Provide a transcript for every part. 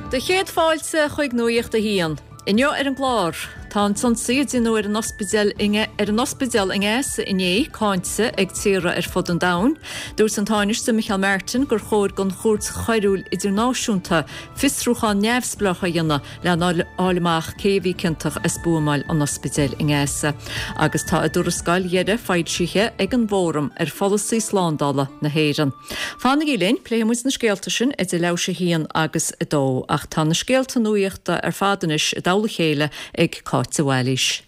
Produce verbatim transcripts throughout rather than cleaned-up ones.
Do chéad fáilte chuig Nuacht a hAon. Inniu ar an gclár, tá an t-ionsaí a déanadh ar an ospidéal ar an ospidéal i nGaza inné cáinte ag tíortha ar fud an domhain. Dúirt an Tánaiste Micheál Martin gur chóir don Chúirt Choiriúil Idirnáisiúnta fiosrúchán neamhspleách a dhéanamh lena fháil amach cé a bhí ciontach as buamáil an ospidéil i nGaza. Agus tá a dtuarascáil dheiridh foilsithe ag an bhFóram ar Pholasaí Slándála na hÉireann. Fanaigí linn, pléifidh muid na scéalta sin idir leathuair théis a haon agus a dó, ach tá na scéalta nuachta ar fad anois i dtoll a chéile ag Cáit de Bhailís.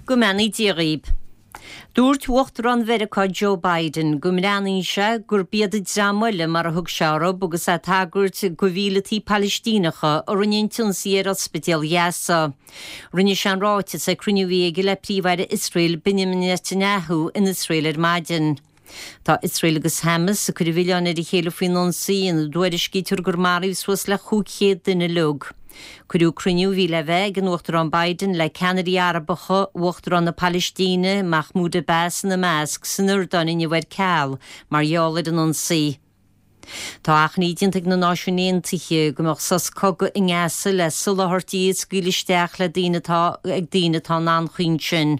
Go mbeannaí Dia dhaoibh. Dúirt Uachtarán Mheiriceá Joe Biden go mbreathnaíonn sé gurb iad an dream eile mar a thug sé orthu agus é ag tagairt do mhíleataigh Palaistíneacha a rinne an t-ionsaí ar ospidéal Ghaza. Rinne sé an ráiteas ag cruinniú a bhí aige le Príomh-Aire Iosrael Benjamin Netanyahu in Iosrael ar maidin. Tá Iosrael agus Hamas ag cur an mhilleáin ar a chéile faoin ionsaí ina dtuairiscítear gur maraíodh suas le cúig chéad duine uilig. Cuireadh cruinniú a bhí le bheith ag an Uachtarán Biden le ceannairí Arabacha, Uachtarán na Palaistíne, Mahmoud Abbas ina measc san Iordáin inniu ar ceal mar gheall ar an ionsaí. Tá achainí déanta ag na Náisiúin Aontaithe go mbeadh sos cogaidh i nGaza le soláthairtí a scaoileadh isteach le daoine atá ag daoine atá in anchaoi ansin.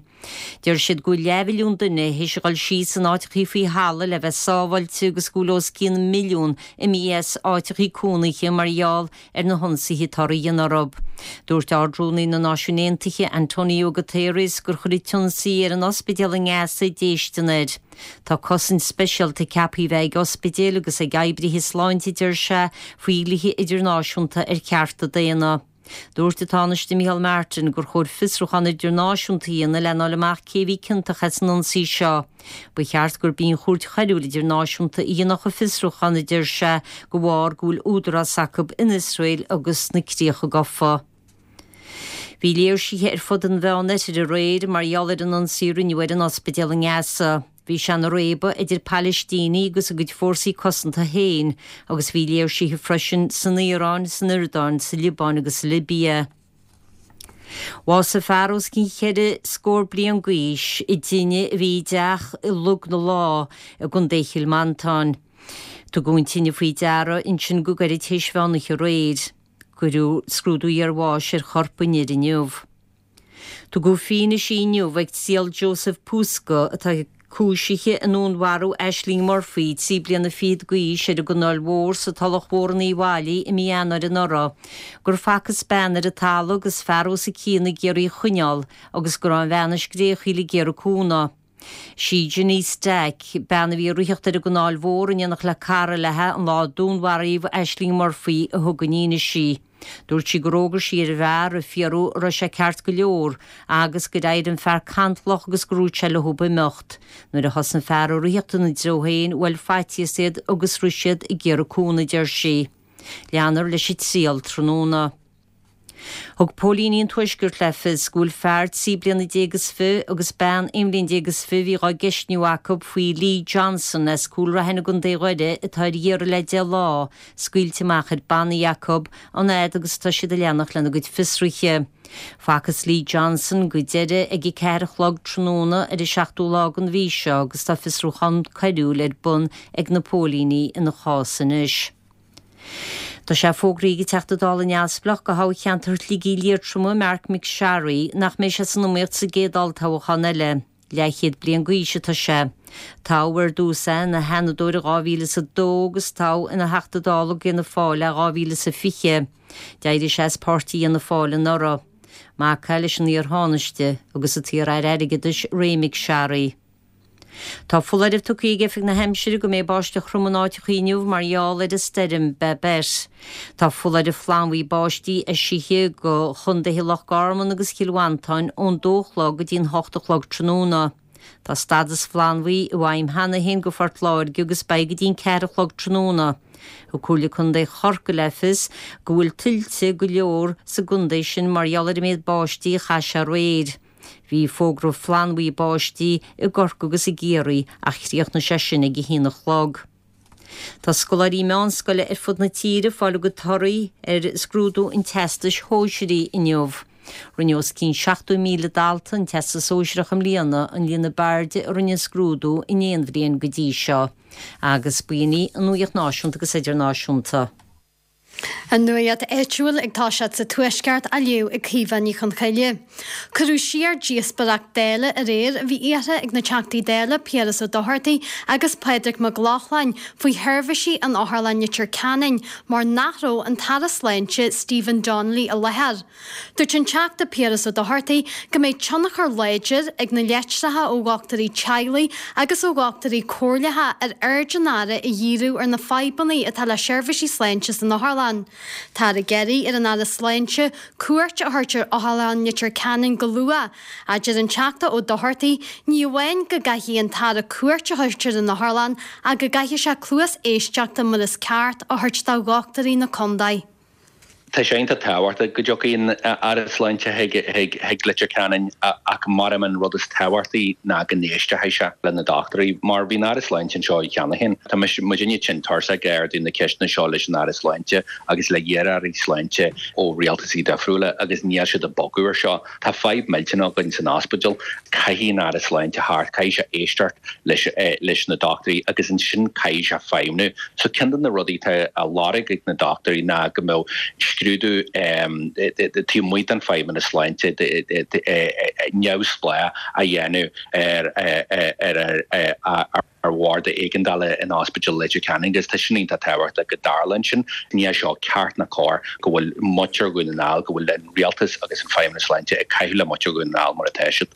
Deir siad go bhfuil leathmhilliún duine théis a dhul síos in áiteachaí faoi thalamh le bheith sábháilte agus go bhfuil os cionn milliún imithe as áiteachaí cónaithe mar gheall ar na hionsaithe atá á ndéanamh orthu. Dúirt Ard-Rúnaí na Náisiún Aontaithe Antonio Guterres gur chuir an t-ionsaí ar an ospidéal i nGaza déistin air. Tá cosaint speisialta ceaptha a bheith ag ospidéil agus ag oibrithe sláinte deir sé faoi dhlíthe idirnáisiúnta ar chearta daonna. Dúirt an Tánaiste Micheál Martin gur chóir fiosrúchán idirnáisiúnta a dhéanamh lena fháil amach cé bhí ciontach as an ionsaí seo. Ba cheart gurb í an Chúirt Choiriúil Idirnáisiúnta a dhéanfadh an fiosrúchán a deir sé de bharr go bhfuil údarás acu in Iosrael agus sna críocha gafa. Bhí léirsithe ar fud an Mheánoirthir aréir mar gheall ar an ionsaí a rinneadh ar an ospidéal i nGaza. Bhí sé ina réabadh idir Palaistínigh agus a gcuid fórsaí cosanta féin agus bhí léirsithe freisin san Iaráin, san Iordáin, sa Liobáin agus sa Libia. Bhásaigh fear os cionn cheithre scór bliain d'aois i dtine a bhí i dteach i Log na Lá i gContae Chill Mhantáin. Tugadh an tine faoi deara ansin go gairid théis mheán oíche aréir. Cuireadh scrúdú iarbháis ar chorp an fhir inniu. Tugadh fianaise inniu ag triail Joseph Puska atá cúisithe i ndúnmharú Ashling Murphy trí bliana fichead d'aois ar an gCanáil Mhór sa Tulach Mhór in Uíbh Fhailí i mí Eanáir anuraidh, gur facthas bean ar an talamh agus fear os a cionn ag iarraidh í a choinneáil agus go raibh an bhean ag scréachaíl ag iarraidh cúnamh. Sí Jenny Stack, bean a bhí ag ritheacht ar an gCanáil Mhór in éineacht le cara léi an lá a dúnmharaíodh Ashling Murphy a thug an fhianaise. Dúirt sí gur fhógair sí ar an bhfear ag fiafraí an raibh sé ceart go leor agus gur éirigh an fear cantalach agus gur dhúirt sé leo imeacht. Nuair a thosaigh an fear ag ritheacht ina dtreo féin, bhuail faitíos iad agus rith siad ag iarraidh cúnamh, deir sí. Leanfar leis an triail tráthnóna. Thug póilíní an Tuaiscirt le fios go bhfuil fear trí bliana déag is fiche agus bean aon bhliain déag is fiche a bhí dhá gceistniú acu faoi Lee Johnson as Cúil Raithin i gContae Dhoire atá ar iarraidh le deich lá, scaoilte amach ar bannaí acu, an fhad agus atá siad ag leanacht lena gcuid fiosruithe. Facthas Lee Johnson go deireadh ag a ceathair a chlog tráthnóna ar an seachtú lá den mhí seo agus tá fiosrúchán coiriúil ar bun ag na póilíní ina chás anois. Tá sé fógraithe ag an Teachta Dála neamhspleách do thoghcheantar Shligigh Liatroma Marc MacSharry nach mbeidh sé san iomaíocht sa gcéad olltoghchán eile. Leathchéad bliain d'aois atá sé. Toghadh ar dtús é ina sheanadóir i dhá mhíle is a dó agus toghadh ina Theachta Dála d'Fhianna Fáil é dhá mhíle is a fiche. D'éirigh sé as páirtí Fhianna Fáil anuraidh. Mac é leis an iar-Thánaiste agus an t-iar-aire airgeadais Ray McSharry. Tá foláireamh tugtha ag Oifig na hAimsire go mbeidh báisteach throm in áiteacha inniu mar gheall ar an stoirm Babet. Tá foláireamh flannbhuí báistí eisithe do chontaetha Loch Garman agus Chill Mhantáin ón dó a chlog go dtí an hocht a chlog tráthnóna. Tá stádas flannbhuí i bhfeidhm cheana féin do Phort Láirge agus beidh go dtí an ceathair a chlog tráthnóna. Thug Comhairle Contae Chorcaí le fios go bhfuil tuilte go leor sa gcontae sin mar gheall ar an méid báistí a chaith sé aréir. Bhí fógra flannbhuí báistí i gCorcaigh agus i gCiarraí ach chríochnaigh sé sin ag a haon a chlog. Tá scoláirí meánscoile ar fud na tíre ag fáil a gcuid torthaí ar scrúdú an Teastais Shóisearaigh inniu. Rinne os cionn seachtó míle dalta an Teastas Sóisearach i mbliana, an líon ab airde a rinne an scrúdú in aon bhliain go dtí seo. Agus b'in í an nuacht náisiúnta agus idirnáisiúnta. An nuacht áitiúil ag toiseacht sa Tuaisceart á léamh ag Caoimhe Ní Chonchoille. Cuireadh siar díospóireacht Dála aréir a bhí iarrtha ag na Teachtaí Dála Piaras Ó Dochartaigh agus Pádraig Mac Lochlainn faoi sheirbhísí in Otharlann Leitir Ceanainn mar nach raibh an tAire Sláinte Stephen Donnelly i láthair. Dúirt an Teachta Piaras Ó Dochartaigh go mbeidh tionchar láidir ag na litreacha ó dhochtúirí teaghlaigh agus ó dhochtúirí comhairleacha ar aird an Aire a dhíriú ar na fadhbanna atá le seirbhísí sláinte san otharlann. Táthar ag iarraidh ar an Aire Sláinte cuairt a thabhairt ar Otharlann Leitir Ceanainn go luath, a deir an Teachta Ó Dochartaigh, ní amháin go gcaithfidh an tAire cuairt a thabhairt ar an otharlann ach go gcaithfidh sé cluas éisteachta mar is ceart a thabhairt do dhochtúirí na contae. Tá sé iontach tábhachtach go dtiocfaidh an Aire Sláinte chuig Leitir Ceanainn ach mar an rud is tábhachtaí ná go n-éistfidh sé le na dochtúirí, mar bhí an Aire Sláinte anseo cheana féin. Tá muidinne tinn tuirseach ag ardú na ceisteanna seo leis an Aire Sláinte agus le hiar-airí sláinte ó rialtasaí difriúla agus níl siad ag bogadh ar seo. Tá fadhb millteanach againn san ospidéal, caithfidh an Aire Sláinte theacht, caithfidh sé éisteacht leis leis na dochtúirí agus ansin caithfidh sé feidhmiú. So ceann de na rudaí atá á lorg ag na dochtúirí ná go mbeadh scrúdú taobh amuigh den Feidhmeannas Sláinte neamhspleách a dhéanamh ar ar ar bhord éigeandála in Ospidéal Leitir Ceanainn agus tá sin iontach tábhachtach go dtarlaíonn sin. Níl seo ceart ná cóir go bhfuil muintir Dhún na nGall, go bhfuil an rialtas agus an Feidhmeannas Sláinte ag caitheamh le muintir Dhún na nGall mar atá siad.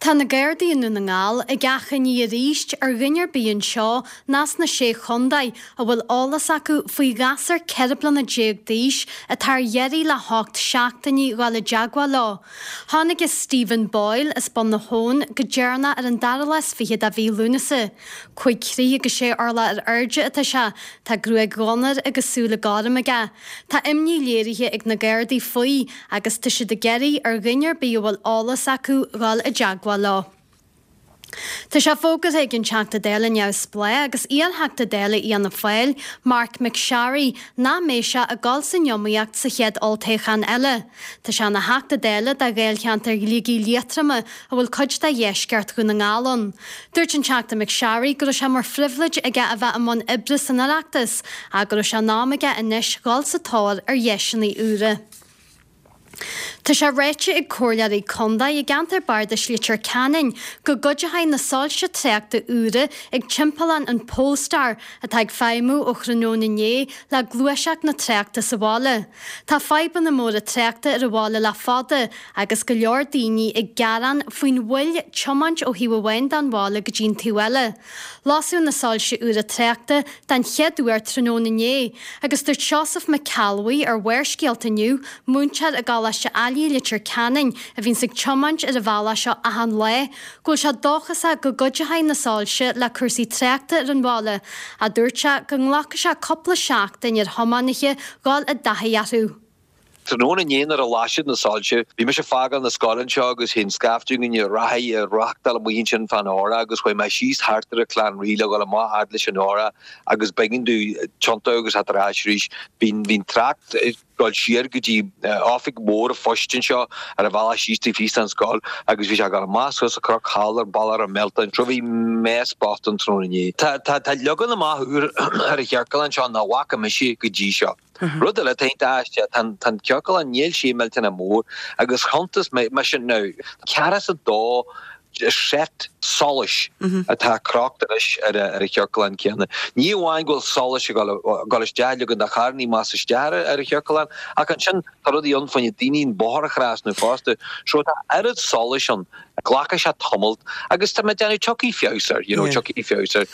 Tá na Gardaí i nDún na nGall ag achainí arís ar dhuine ar bith anseo ná sna Sé Chontae a bhfuil eolas acu faoi ghasúr ceithre bliana déag d'aois atá ar iarraidh le hocht seachtainí dhul i dteagmháil leo. Tháinig Stephen Boyle as Bun na hAbhann go deireanach ar an dara lá is fiche de mhí Lúnasa. Cúig throigh agus sé orlach ar airde atá sé, tá gruaig dhonair agus súile gorm aige. Tá imní léirithe ag na Gardaí faoi agus tá siad ag iarraidh ar dhuine ar bith a bhfuil eolas acu dhul i dteagmháil leo. Tá sé fógartha ag an Teachta Dála neamhspleách agus iar-Theachta Dála Fhianna Fáil, Marc MacSharry, nach mbeidh sé ag dul san iomaíocht sa chéad olltoghchán eile. Tá sé ina Theachta Dála do Dháilcheantar Shligigh Liatroma a bhfuil cuid de dheisceart Dhún na nGall ann. Dúirt an Teachta MacSharry go raibh sé mar phribhléid aige a bheith i mbun oibre san Oireachtas ach go raibh sé in am aige anois dhul sa tóir ar dheiseanna úra. Tá sé ráite ag comhairleoirí contae i gceantar bardais Leitir Ceanainn go gcuideoidh na soilse tráchta úra ag timpeallán an Polestar atá ag feidhmiú ó thráthnóna inné le gluaiseacht na tráchta sa bhaile. Tá fadhbanna móra tráchta ar an bhaile le fada agus go leor daoine ag gearán faoin mhoill tiomáint ó thaobh amháin den bhaile go dtí an taobh eile. Lasadh na soilse úra tráchta den chéad uair tráthnóna inné agus dúirt Seosamh Mac Ceallbhuí ar Bharrscéalta inniu, múinteoir i gColáiste Ailigh Leitir Ceanainn a bhíonns ag tiomáint ar an bhealach seo achan lá, go bhfuil sé dóchasach go gcuideoidh na soilse le cúrsaí tráchta ar an bhaile, ach dúirt sé go nglacfaidh sé cúpla seachtain ar thiománaithe dhul i dtaithí orthu. Tráthnóna inné nuair a lasadh na soilse, bhí mise ag fágáil na scoile anseo agus thé'n scaifte againn ag reathaí ag reáchtáil amuigh ansin fán Óra agus chuaigh mé síos thart ar an Chlann Rí le dhul amach fhad leis an Óra agus b'éigean domh tiontú agus theacht ar ais arís. Bhí an trácht ag dul siar go dtí oifig mhór an phoist anseo ar an bhealach síos taobh thíos den scoil agus bhí sé ag dul amach suas an cnoc thall ar Bhealach an Mhelta. So bhí mess bocht ann tráthnóna inné. Tá tá leagan amach úr ar an chiorclán anseo nach bhfaca mise go dtí seo. Rud eile atá iontach aisteach, tá an ciorclán, níl sé millteanach mór agus chuntas mise now, ceathracha is a dó seit solais atá crochta anois ar an chiorclán céanna. Ní amháin go bhfuil solais ag dul isteach, leagan de charrannaí más isteach ar an chiorclán, ach ansin tá rudaí ann fá choinne daoine an bóthar a thrasnú fosta. So tá oiread solais ann, glacfaidh sé tamalt agus tá mé ag déanamh tiocfaidh feabhas air, you know, tiocfaidh feabhas air.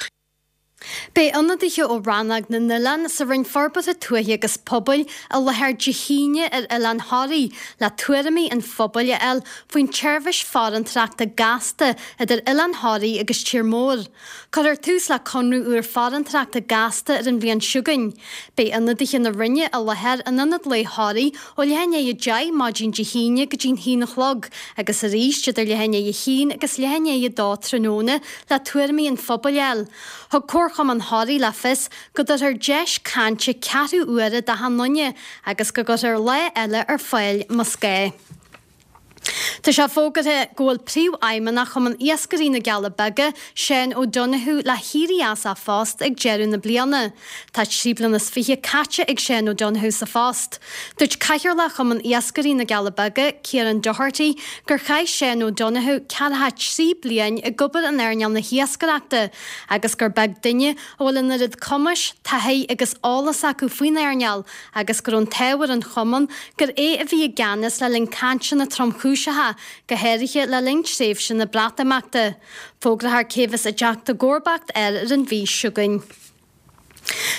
Beidh ionadaithe ó Rannóg na nOileán sa Roinn Forbartha Tuaithe agus Pobail i láthair Dé hAoine ar Oileán Thoraí le tuairimí an phobail a fháil faoin tseirbhís farantóireachta gasta idir Oileán Thoraí agus Tír Mór. Cuirfear tús le conradh úr farantóireachta gasta ar an bhliain seo chugainn. Beidh ionadaithe na Roinne i láthair in Ionad Lae Thoraí ó leath i ndiaidh a deich maidin Dé hAoine go dtí'n haon a chlog agus arís idir leath i ndiaidh a haon agus leath i ndiaidh a dó tráthnóna le tuairimí an phobail a fháil. Thug Comharchumann Thoraí le fios go dtabharfar deis cainte ceathrú uaire d'achan duine agus go gcuirfear lá eile ar fáil más gá. Tá sé fógartha go bhfuil Príomhfheidhmeannach Chumann Iascairí na gCealla Beaga, Seán O'Donoghue, le héirí as a phost ag deireadh na bliana. Tá trí bliana is fiche caite ag Seán O'Donoghue sa phost. Dúirt Cathaoirleach Chumann Iascairí na gCealla Beaga, Ciarán Doherty, gur chaith Seán O'Donoghue ceathracha trí bliain ag obair in earnáil na hiascaireachta agus gur beag duine a bhfuil an oiread cumais, taithí agus eolas acu faoin earnáil agus go raibh an t-ádh ar an chumann gur é a bhí i gceannas le linn cainteanna tromchúiseacha, go háirithe le linn tréimhse na Breatimeachta. Fógrófar cé a bheas ag teacht i gcomharbacht air ar an mhí seo chugainn.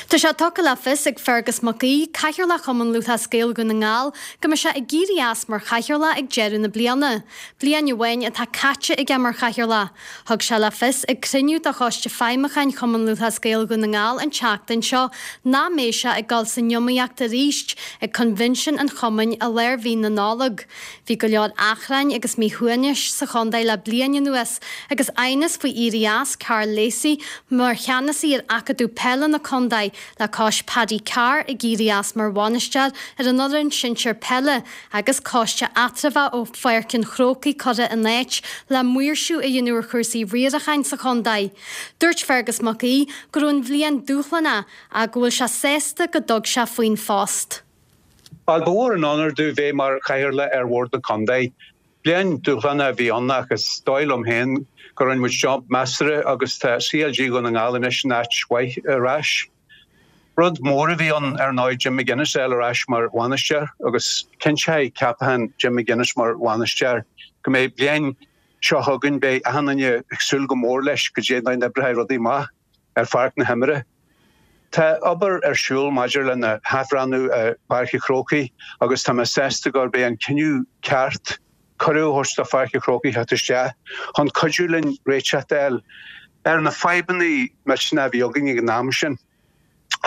Tá sé tugtha le fios ag Fergus Mac Aoidh, Cathaoirleach Chumann Lúthchleas Gael Dhún na nGall, go mbeidh sé ag éirí as mar chathaoirleach ag deireadh na bliana. Bliain amháin atá caite aige mar chathaoirleach. Thug sé le fios ag cruinniú de Choiste Feidhmiúcháin Chumann Lúthchleas Gael Dhún na nGall an tseachtain seo nach mbeidh sé ag dul san iomaíocht arís ag coinbhinsiún an chumainn i lár mhí na Nollag. Bhí go leor achrainn agus míshuaimhnis sa chontae le bliain anuas agus aighneas faoi éirí as Karl Lacey mar cheannasaí ar Acadamh Peile na Contae le cois Paddy Carr ag éirí as mar bhainisteoir ar an fhoireann sinsir peile agus coiste eatramhach ó Pháirc an Chrócaigh curtha in áit le maoirsiú a dhéanamh ar chúrsaí riaracháin sa chontae. Dúirt Fergus Mac Aoidh go raibh an bhliain dúshlánach ach go bhfuil sé sásta go dtug sé faoin phost. Bhuel, ba mhór an onóir domh bheith mar chathaoirleach ar bhord na contae. Bliain dúshlánach a bhí ann ach is dóigh liom féin go rinne muid job measartha agus tá CLG Dhún na nGall anois in áit mhaith ar ais. Rud mór a bhí ann ar ndóigh Jim McGuinness a fháil ar ais mar bhainisteoir agus cinnteoidh ceapachán Jim McGuinness mar bhainisteoir go mbeidh bliain seo chugainn beidh achan duine ag súil go mór leis go dté an oibreoidh rudaí maith ar pháirc na himeartha. Tá obair ar siúl maidir lena hathbhreathnú ar Pháirc an Chrócaigh agus tá mé sásta gurb é an cinneadh ceart cuireadh a thabhairt do Pháirc an Chrócaigh theacht isteach chun cuidiú linn réiteach a fháil ar na fadhbanna millteanacha a bhí againn ag an am sin.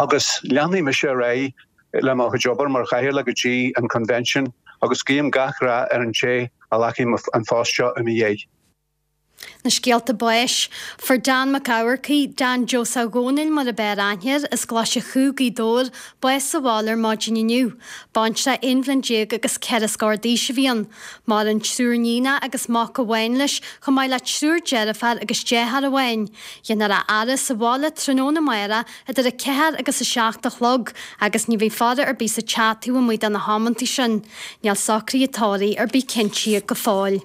Agus leanfaidh mise ar aghaidh le mo chuid obair mar chathaoirleach go dtí an convention agus guím gach rath ar an té a ghlacfaidh an post seo i mo dhiaidh. Na scéalta báis. Fuair Dan Mac Eamharcaigh, Dan Joseph Dhónaill mar ab fhearr aithne air, as Glaise Chú, Gaoth Dobhair, bás sa bhaile ar maidin inniu. Baintreach aon bhliain déag agus ceithre scór d'aois a bhí ann. Maireann triúr níonach agus mac amháin leis, chomh maith le triúr deirfiúr agus deartháir amháin. Déanfar a fhaire sa bhaile tráthnóna amárach idir a ceathair agus a seacht a chlog agus ní bheidh faire ar bith sa teach taobh amuigh de na hamanta sin. Níl socruithe tórraimh ar bith cinntithe go fóill.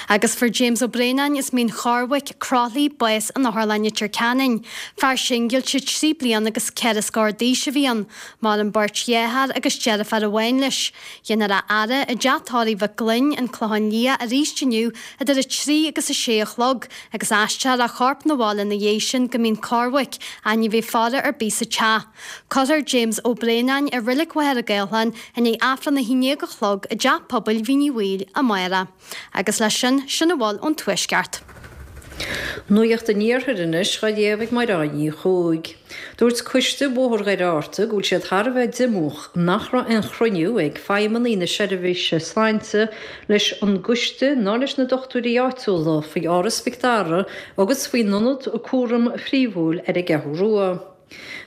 Agus fuair James Ó Braonáin as Mín Chormhaic, Croithlí, bás in Otharlann Leitir Ceanainn. Fear singilte trí bliana agus ceithre scór d'aois a bhí ann. Maireann beirt dheartháir agus deirfiúr amháin leis. Déanfar a fhaire i dteach tórraimh Mhic Gloinn, An Clochán Liath arís inniu idir a trí agus a sé a chlog agus aistreofar a chorp 'na bhaile ina dhiaidh sin go Mín Cormhaic ach ní bheidh faire ar bith sa teach. Cuirfear James Ó Braonáin i Reilig Mhachaire Gathlán i ndiaidh Aifreann a haon déag a chlog i dTeach Pobail Mhín Uí Bhaoill amárach. Agus leis sin, sin a bhfuil ón Tuaisceart. Nuacht an Iarthair anois á léamh ag Mairéad Ní Chuaig. Dúirt Coiste Bhóthar Dhoire Fhatharta go bhfuil siad thar a bheith diomúch nach raibh aon chruinniú ag feidhmeannaigh na seirbhíse sláinte leis an gcoiste ná leis na dochtúirí áitiúla faoi Áras Mhic Dara agus faoin ionad cúraim phríomhúil ar an gCeathrú Rua.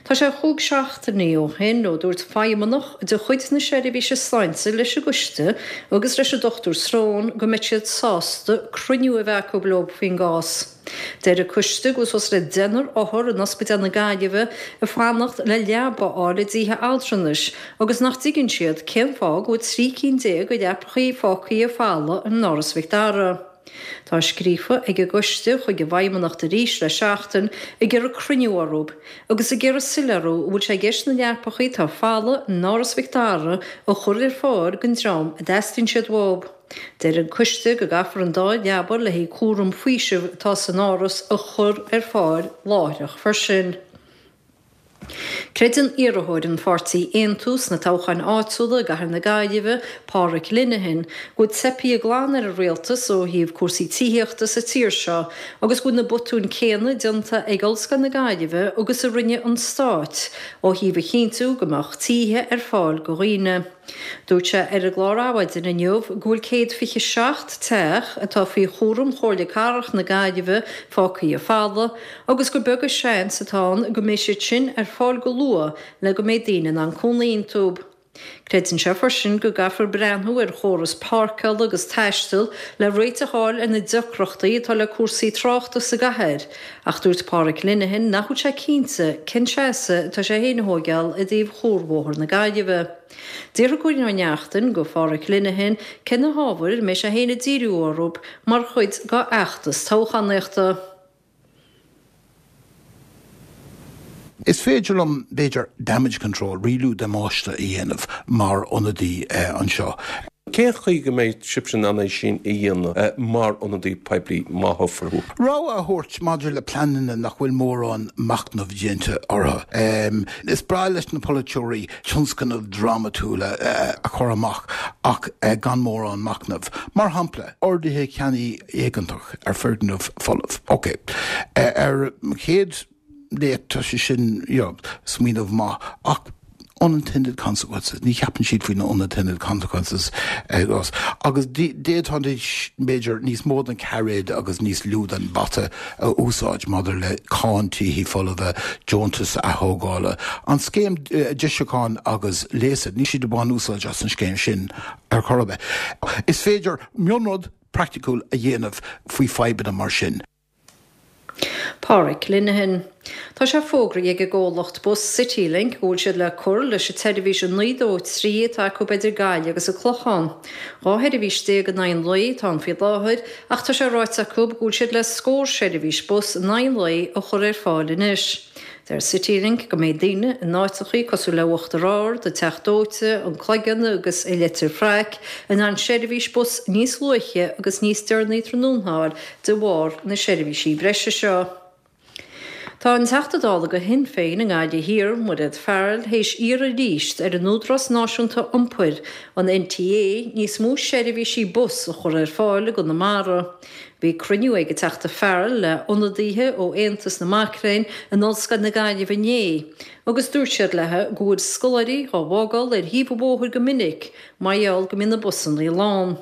Tá sé chúig seachtainí ó shin ó dúirt feidhmeannach de chuid na seirbhíse sláinte leis an gcoiste agus leis an Dochtúir Srón go mbeadh siad sásta cruinniú a bheith acu leo faoin gcás. Deir an coiste go bhfuil suas le deichniúr othar in Ospidéal na Gaillimhe ag fanacht le leaba a fháil i dtithe altranais agus nach dtuigeann siad cén fáth go bhfuil trí cinn déag de leapachaí fágtha folamh in Áras Mhic Dara. Tá scríofa ag an gcoiste chuig an bhFeidhmeannacht arís le seachtain ag iarraidh cruinniú orthu agus ag iarraidh soiléiriú an bhfuil sé i gceist na leapachaí atá folamh in Áras Mhic Dara a chur ar fáil don dream a dteastaíonn siad uathu. Deir an coiste go gcaithfear an dá leaba le haghaidh cúram faoisimh atá san áras a chur ar fáil láithreach freisin. Creideann iarrthóir an pháirtí Aontú sna toghcháin áitiúla i gcathair na Gaillimhe, Pádraic Linehan, go bhfuil teipthe glan ar an rialtas ó thaobh cúrsaí tithíochta sa tír seo agus go bhfuil na botúin céanna déanta ag Ollscoil na Gaillimhe agus a rinne an Stát ó thaobh a chinntiú go mbeadh tithe ar fáil do dhaoine. Dúirt sé ar an gclár Adhmhaidin inniu go bhfuil céad fiche seacht teach atá faoi chúram Chomhairle Cathrach na Gaillimhe fágtha folamh agus gur beag an seans atá ann go mbeidh siad sin ar fáil go luath le go mbeidh daoine in ann cónaí iontu. Creideann sé freisin go gcaithfear breathnú ar chóras páirceála agus taistil le réiteach a fháil ar na deacrachtaí atá le cúrsaí tráchta sa gcathair, ach dúirt Páraic Linehan nach bhfuil sé cinnte cén seasamh atá sé féin a thógáil i dtaobh Chuarbhóthar na Gaillimhe. D'fhiafraigh Cóilín Ó Neachtain de Pháraic Linehan cé na hábhair a mbeidh sé féin ag díriú orthu mar chuid dá fheachtas toghchánaíochta. Is féidir liom, b'fhéidir, damage control, rialú damáiste a dhéanamh mar ionadaí anseo. Cén chaoi go mbeidh sibhse in ann é sin a dhéanamh mar ionadaí poiblí má thoghfar thú? Rabhadh a thabhairt maidir le pleananna nach bhfuil mórán machnaimh déanta orthu. Is breá leis na polaiteoirí tionscnaimh drámatúla a chur amach ach gan mórán machnaimh. Mar shampla, orduithe ceannaigh éigeantach ar foirgneamh folamh. Ok. Ar an chéad léamh tá sé sin you know, smaoineamh maith ach unintended consequences, ní cheapann siad faoi na unintended consequences agus agus d'fhéadfaidís b'fhéidir níos mó den cairéad agus níos lú den bata a úsáid maidir le cáin tithe folmha, deontas atógála, an scéim deisiúcháin agus léasa, níl siad ag baint úsáid as an scéim sin ar chor ar bith. Is féidir mionrud praiticiúil a dhéanamh faoi fadhbanna mar sin. Páraic Linehan. Tá sé fógraithe ag an gcomhlacht bus Citylink go bhfuil siad le cur leis an tseirbhís a naoi dó trí atá acu idir Gaillimh agus an Clochán. Dhá sheirbhís déag in aghaidh an lae atá ann faoi láthair ach tá sé ráite acu go bhfuil siad le scór seirbhís bus in aghaidh an lae a chur ar fáil anois. Deir Citylink go mbeidh daoine in áiteachaí cosúil le Uachtar Ard, an Teach Dóite, an Cloigeann agus i Leitir Fraic in ann seirbhís bus níos luaithe agus níos deireanaí tráthnóna a fháil de bharr na seirbhísí breise seo. Tá an Teachta Dála do Shinn Féin i nGaillimh Thiar, Mairéad Farrell, théis iarraidh arís ar an Údarás Náisiúnta Iompair, an NTA, níos mó seirbhísí bus a chur ar fáil i gConamara. Bhí cruinniú ag an Teachta Farrell le hionadaithe ó Aontas na Mac Léinn in Ollscoil na Gaillimhe inné agus dúirt siad léi go bhfuil scoláirí á bhfágáil ar thaobh an bhóthair go minic mar gheall go mbíonn na busanna lán.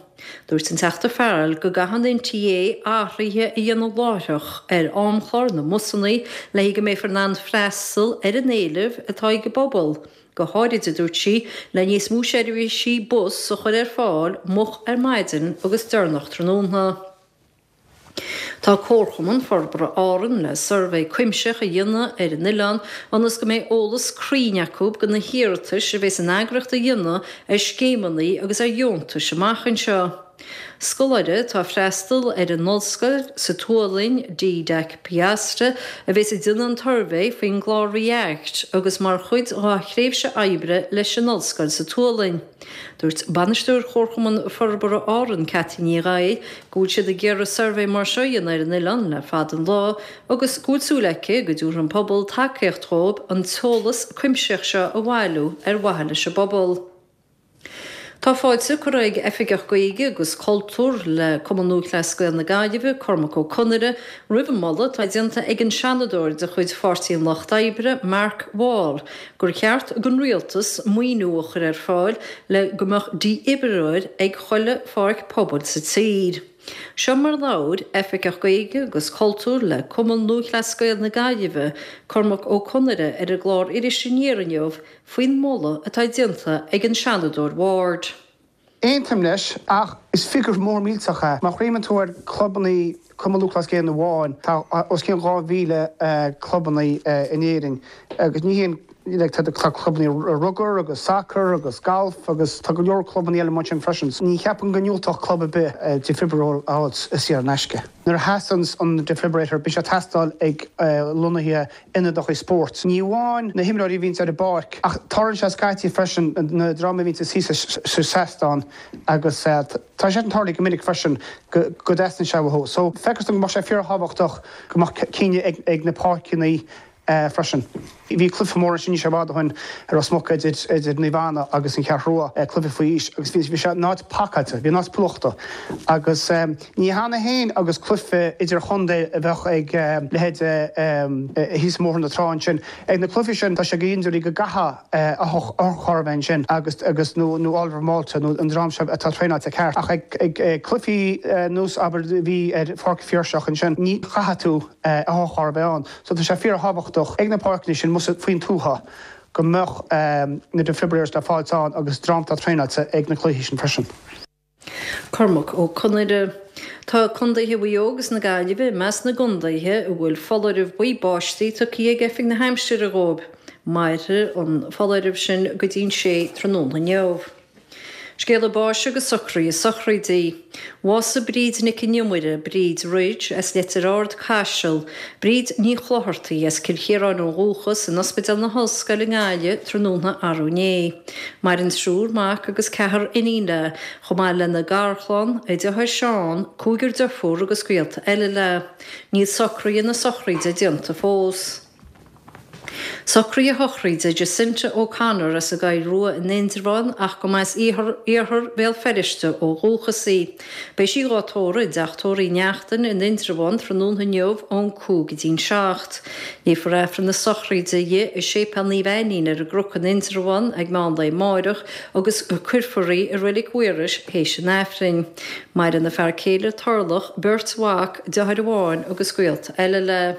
Dúirt an Teachta Farrell go gcaithfidh an NTA athruithe a dhéanamh láithreach ar amchlár na mbusanna le go mbeifear in ann freastal ar an éileamh atá ag an bpobal, go háirid, a dúirt sí, le níos mó seirbhísí bus a chur ar fáil moch ar maidin agus deireanach tráthnóna. Tá Comharchumann Forbartha Árann le suirbhé cuimsitheach a dhéanamh ar an oileán ionas go mbeidh eolas cruinn acu do na hiarratais a bheas an eagraíocht a dhéanamh ar scéimeanna agus ar dheontais amach anseo. Scoláire atá ag freastal ar an ollscoil sa tSualainn, Didac Piastre, a bheas ag déanamh an tsuirbhé faoin gclár ReAct agus mar chuid dá thréimhse oibre leis an ollscoil sa tSualainn. Dúirt Bainisteoir Chomharchumann Forbartha Árann, Cathy Ní Ghaidh, go bhfuil siad ag iarraidh suirbhé mar seo a dhéanamh ar an oileán le fada an lá agus go bhfuil súil aici go dtabharfaidh an pobal tacaíocht dhóibh an t-eolas cuimsitheach seo a bhailiú ar mhaithe leis an bpobal. Tá fáilte curtha ag Oifigeach Gaeilge agus Cultúir le Cumann Lúthchleas Gael na Gaillimhe, Cormac Ó Conaire, roimh an moladh atá déanta ag an Seanadóir de chuid Pháirtí an Lucht Oibre, Mark Wall, gur cheart don Rialtas maoiniú a chur ar fáil le go mbeadh dífhibrileoir ag chuile pháirc pobail sa tír. Seo mar a labhair Oifigeach Gaeilge agus Cultúir le Cumann Lúthchleas Gael na Gaillimhe, Cormac Ó Conaire ar an gclár Iris Aniar inniu faoin moladh atá déanta ag an Seanadóir Ward. Aontaím leis, ach is figiúr mór millteach é. Má chuimhníonn tú ar chlubanna Cumann Lúthchleas Gael amháin, tá os cionn dhá mhíle clubanna in Éirinn agus ní haon like tá tá clubanna rugair agus sacar agus galf agus tá go leor clubanna eile mar sin freisin. Ní cheapaim go ndiúltódh club ar bith defibrillator a fháil saor in aisce. Nuair a theastaíonn an defibrillator, bíonn sé ag teastáil ag lonnaithe ionadacha spóirt. Ní amháin na himreoirí a bhíonns ar an bpáirc, ach tarlaíonn sé scaití freisin na dream a bhíonns thíos sa seastán agus tá sé ag tarlú go minic freisin go dteastaíonn sé uathu. So feictear dom go mbeadh sé fíorthábhachtach go mbeadh ceann ag na páirceanna freisin. Bhí cluiche mór ansin níl sé i bhfad ó shin i Ros Muc idir idir Naomh Anna agus an Cheathrú Rua, cluiche faoi aois, agus bhí bhí sé an áit pacáilte, bhí an áit plúchta. Agus ní hannamh féin agus cluiche idirchontae a bheadh ag leithéid thíos i mBóthar na Trá ansin. Ag na cluichí sin tá sé go hiondúil go gcaithfidh otharcharr a bheith ansin agus agus nó nó Oliver Malta nó an dream seo atá traenáilte ceart. Ach ag ag cluichí nós abair a bhí ar Pháirc an Phiarsaigh ansin ní chaithfidh tú otharcharr a bheith ann. So tá sé fíorthábhachtach ag na páirceanna sin, más faoin tuath, go mbeadh na defibrillators le fáil ann agus dream atá traenáilte ag na cluichí sin freisin. Cormac Ó Conaire. Tá Contaetha Mhaigh Eo agus na Gaillimhe i measc na gcontaetha a bhfuil foláireamh buí báistí tugtha ag Oifig na hAimsire dhóibh. Mairfidh an foláireamh sin go dtí'n sé tráthnóna inniu. Scéala báis agus socruithe sochraide. Bhásaigh Bríd Nic an Iomaire, Bríd Ridge, as Leitir Ard, Caiseal, Bríd Ní Chlochartaigh, as Cill Chiaráin ó dhúchas, in Ospidéal na hOllscoile i nGaillimh tráthnóna arú inné. Maireann triúr mac agus ceathrar iníon léi, chomh maith lena garchlann, a deartháir Seán, cúigear deirfiúr agus gaolta eile léi. Níl socruithe na sochraide déanta fós. Socruithe sochraide Jacinta O'Connor as an gCoill Rua in Indreabhán ach go mba as iarthar Bhéal Feirste ó dhúchas í. Beidh sí dhá tórramh i dteach tórraimh Uí Neachtain in Indreabhán tráthnóna inniu ón cúig go dtí'n seacht. Léifear Aifreann na sochraide di i Séipéal Naomh Ainnín ar an gCnoc in Indreabhán ag meán lae amáireach agus cuirfear í i Reilig Mhaorais théis an Aifrinn. Maireann a fear céile Turlough, beirt mhac, deartháir amháin agus gaolta eile léi.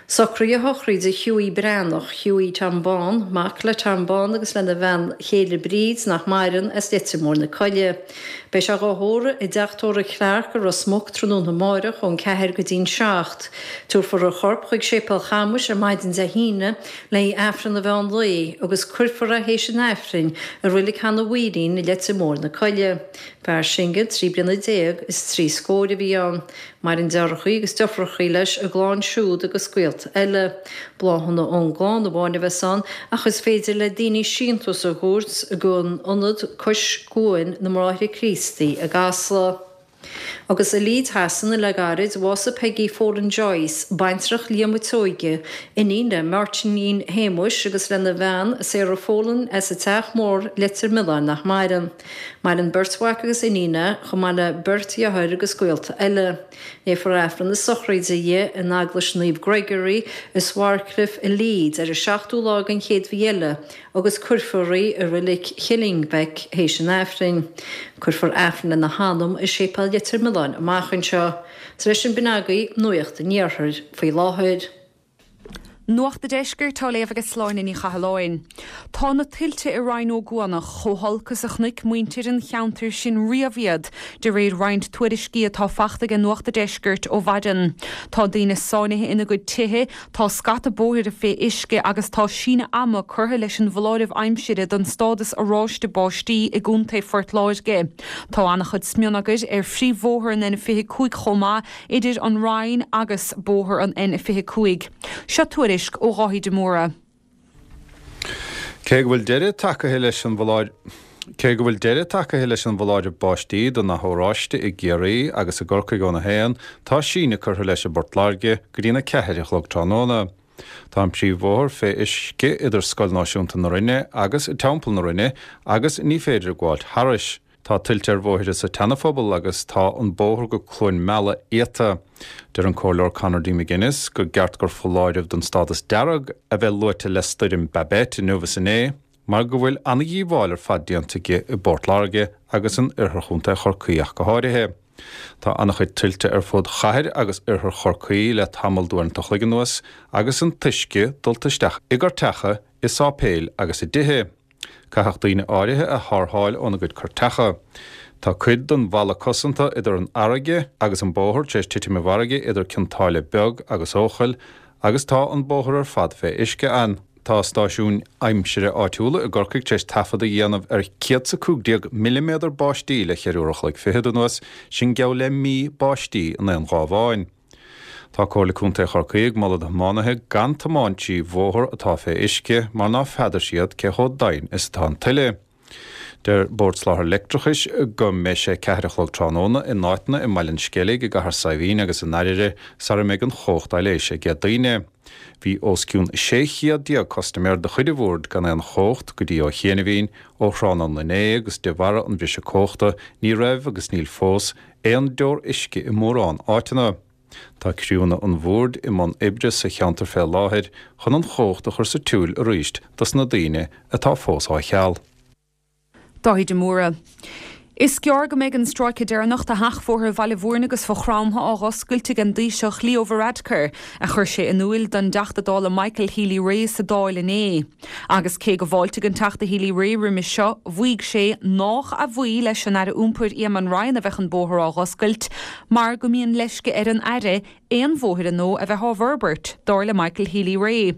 Socruithe sochraide Hughie Breathnach, Hughie Tom Bán, mac le Tom Bán agus lena bhean chéile Bríd, nach maireann, as Leitir Móir na Coille. Beidh sé dhá thórramh i dteach tórraimh Clarke i Ros Muc tráthnóna amáireach ón ceathair go dtí'n seacht. Tabharfar a chorp chuig Séipéal Chamuis ar maidin Dé hAoine le haghaidh Aifreann an mheán lae agus cuirfear é théis an Aifrinn i Reilig Sheanadh Mhaoilín i Leitir Móir na Coille. Fear singil trí bliana déag is trí scóir a bhí ann. Maireann deartháireacha agus deirfiúracha leis, a gclann siúd agus gaolta eile. Bláthanna ón gclann amháin a bheas ann ach is féidir le daoine síntiús a thabhairt don Ionad Cois Cuain na mBráithre Críostaí i gCasla. Agus i Leeds Shasana le gairid, bhásaigh Peggy Folan Joyce, baintreach Liam an tSeoighe, iníon le Máirtín Shéamuis agus lena bhean, Sarah Folan as an Teach Mór, Leitir Mealláin nach maireann. Maireann beirt mhac agus iníon léi, chomh maith le beirt dheartháir agus gaolta eile. Léifear Aifreann na sochraide di in Eaglais Naomh Gregory i Swarcliffe i Leeds ar an seachtú lá den chéad mhí eile agus cuirfear í i Reilig Killingbeck théis an Aifrinn. Cuirfear Aifreann lena hanam i Séipéal Leitir Mealláin amach anseo. Tar éis sin b'in agaibh Nuacht an Iarthair faoi láthair. Nuacht an Deiscirt á léamh ag Sláine Ní Chathalláin. Tá na tuilte i Rinn Ó gCuanach chomh holc is a chonaic muintir an cheantair sin riamh iad, de réir roinnt tuairiscí atá faighte ag Nuacht an Deiscirt ó mhaidin. Tá daoine sáinnithe ina gcuid tithe, tá scata bóithre fé uisce agus tá síneadh ama curtha leis an bhfoláireamh aimsire don stádas oráiste báistí i gContae Phort Láirge. Tá an-chuid smionagair ar phríomhbhóthar an N fiche cúig chomh maith idir an Rinn agus bóthar an N fiche cúig. Seo tuairisc ó Dháithí de Mórdha. Cé go bhfuil deireadh tagtha leis an Cé go bhfuil deireadh tagtha leis an bhfoláireamh báistí don ndath oráiste i gCiarraí agus i gCorcaigh óna haon, tá síneadh curtha leis i bPort Láirge go dtína ceathair a chlog tráthnóna. Tá an príomhbhóthar fé uisce idir Scoil Náisiúnta na Rinne agus Teampall na Rinne agus ní féidir gabháilt thairis. Tá tuilte ar bhóithre sa tSeanaphobal agus tá an bóthar go Cluain Meala iata. Deir an Comhairleoir Conor D. McGuinness gur ceart gur foláireamh don stádas dearg a bheith luaite le stoirm Babet inniu is inné mar go bhfuil an-dhíobháil ar fad déanta aici i bPort Láirge agus in oirthear Chontae Chorcaí ach go háirithe. Tá an-chuid tuilte ar fud chathair agus oirthear Chorcaí le tamall d'uaireanta an chloig anuas agus an t-uisce dulta isteach i gcuirteacha, i sáipéil agus i dtithe. Caitheadh daoine áirithe a tharrtháil óna gcuid cuirteacha. Tá cuid den bhalla cosanta idir an fharraige agus an bóthar tar éis titim i bhfarraige idir Cionn tSáile Beag agus Eochaill agus tá an bóthar ar fad fé uisce ann. Tá stáisiúin aimsire áitiúla i gCorcaigh tar éis taifead a dhéanamh ar céad 's a cúig déag milliméadar báistí le ceithre uair a chloig fichead anuas, sin geall le mí báistí in aon lá amháin. Tá Comhairle Contae Chorcaí ag moladh do thiománaithe gan tiomáint trí bhóthar atá fé uisce mar ná feadar siad cé chomh doimhin is atá an tuile. Deir Bord Soláthair Leictreachais go mbeidh sé ceathair a chlog tráthnóna in áiteanna i mBaile an Sceilg, i gCathair Saidhbhín agus in Oirire sara mbeidh an chumhacht á leigheas ag daoine. Bhí os cionn sé chéad déag custaiméir de chuid an Bhoird gan aon chumhacht go dtí ó chianaibhín ó thráthnóna inné agus de bharra an bhriseadh cumhachta ní raibh agus níl fós aon deor uisce i mórán áiteanna. Tá criúnna an Bhoird i mbun oibre sa cheantar fé láthair chun an chumhacht a chur sa tsiúl arís dos na daoine atá fós á cheal. Dáithí de Mórdha. Is gearr go mbeidh an stráice deireanach de sheachbhóthar Bhaile Bhúirne agus Mhaigh Chromtha á dh'oscailt ag an dTaoiseach Leo Varadkar, a chuir sé in iúil don dTeachta Dála Michael Healy-Rae sa Dáil inné. Agus cé go bhfáiltigh an Teachta Healy-Rae roimis seo, mhaígh sé nách a bhuí leis an Aire Iompair Eamon Ryan a bheadh an bóthar á dh'oscailt, mar go mbíonn leisce ar an Aire aon bhóithre nua a bheith á bhforbairt, dar le Michael Healy-Rae.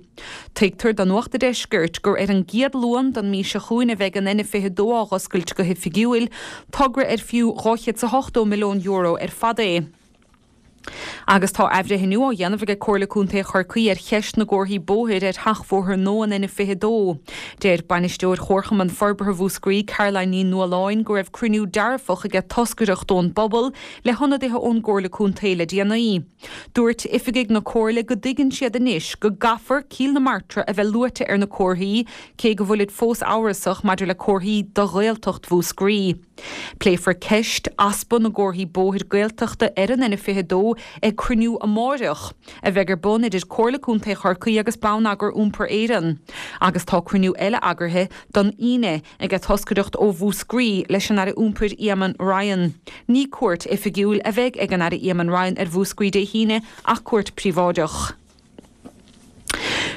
Tuigtear do Nuacht a' Deiscirt gur ar an gcéad Luan den mhí seo chugainn a bheidh an N fiche dó á dh'oscailt go hoifigiúil, togra ar fiú dhá chéad 's a hochtó milliún euro ar fad é. Agus tá athbhreithniú á dhéanamh ag Comhairle Contae Chorcaí ar cheist na gcomharthaí bóthair ar sheachbhóthar nua an N fiche dó. Deir Bainisteoir Chomharchumann Forbartha Mhúscraí, Caroline Ní Nualláin, go raibh cruinniú dearfach ag toscaireacht ón bpobal le hionadaithe ón gComhairle Contae le déanaí. Dúirt oifigigh na Comhairle go dtuigeann siad anois go gcaithfear Cill na Martra a bheith luaite ar na comharthaí, cé go bhfuilid fós amhrasach maidir le comharthaí do Ghaeltacht Mhúscraí. Pléifear ceist easpa na gcomharthaí bóthair Gaeltachta ar an N fiche dó ag cruinniú amáireach, a bheidh ar bun idir Comhairle Contae Chorcaí agus Bonneagar Iompair Éireann, agus tá cruinniú eile eagraithe don Aoine ag toscaireacht ó Mhúscraí leis an Aire Iompair Eamon Ryan. Ní cuairt oifigiúil a bheidh ag an Aire Eamon Ryan ar Mhúscraí Dé hAoine ach cuairt príobháideach.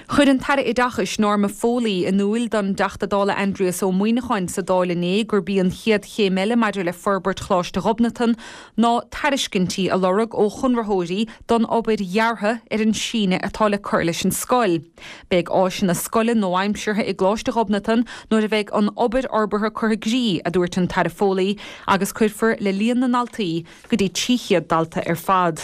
Chuir an tAire Oideachais Norma Foley in iúl don dTeachta Dála Aindrias Ó Muimhneacháin sa Dáil inné gurb í an chéad chéim eile maidir le forbairt Choláiste Ghobnatan ná tairiscintí a lorg ó chonraitheoirí don obair dheartha ar an síneadh atá le cur leis an scoil. Beidh áiseanna scoile nua-aimseartha i gColáiste Ghobnatan nuair a bheidh an obair fhorbartha curtha i gcrích, a dúirt an tAire Foley, agus cuirfear le líon na ndaltaí go dtí trí chéad dalta ar fad.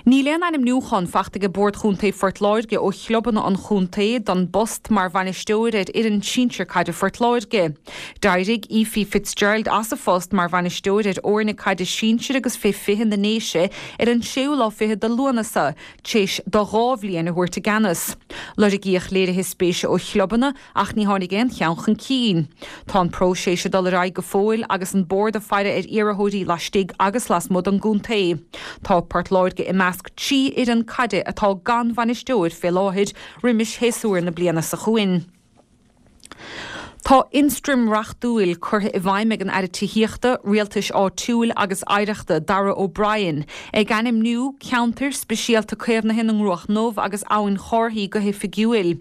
Níl aon ainmniúchán fachta ag Bord Chontae Phort Láirge ó chlubanna an chontae don bpost mar bhainisteoir ar fhoireann sinsir caide Phort Láirge. D'éirigh Aoife Fitzgerald as a phost mar bhainisteoir ar fhoirne caide sinsir agus fé fiche na nDéise ar an séú lá fichead de Lúnasa, tar éis di dhá bhliain a thabhairt i gceannas. Lorgaíodh léirithe spéise ó chlubanna ach ní tháinig aon cheann chun cinn. Tá an próiseas ag dul ar aghaidh go fóill agus an Bord ag faire ar iarrthóirí laistigh agus lasmuigh den gcontae. Tá Port Láirge i measc trí fhoireann caide atá gan bhainisteoir fé láthair roimis shéasúr na bliana seo chugainn. Tá ionstraim reachtúil curtha i bhfeidhm ag an Aire Tithíochta, Rialtais Áitiúil agus Oidhreachta, Darragh O'Brien, ag ainmniú Ceantar Speisialta Caomhnaithe na nGcruach nDubh agus Abhainn Chárthaí go hoifigiúil.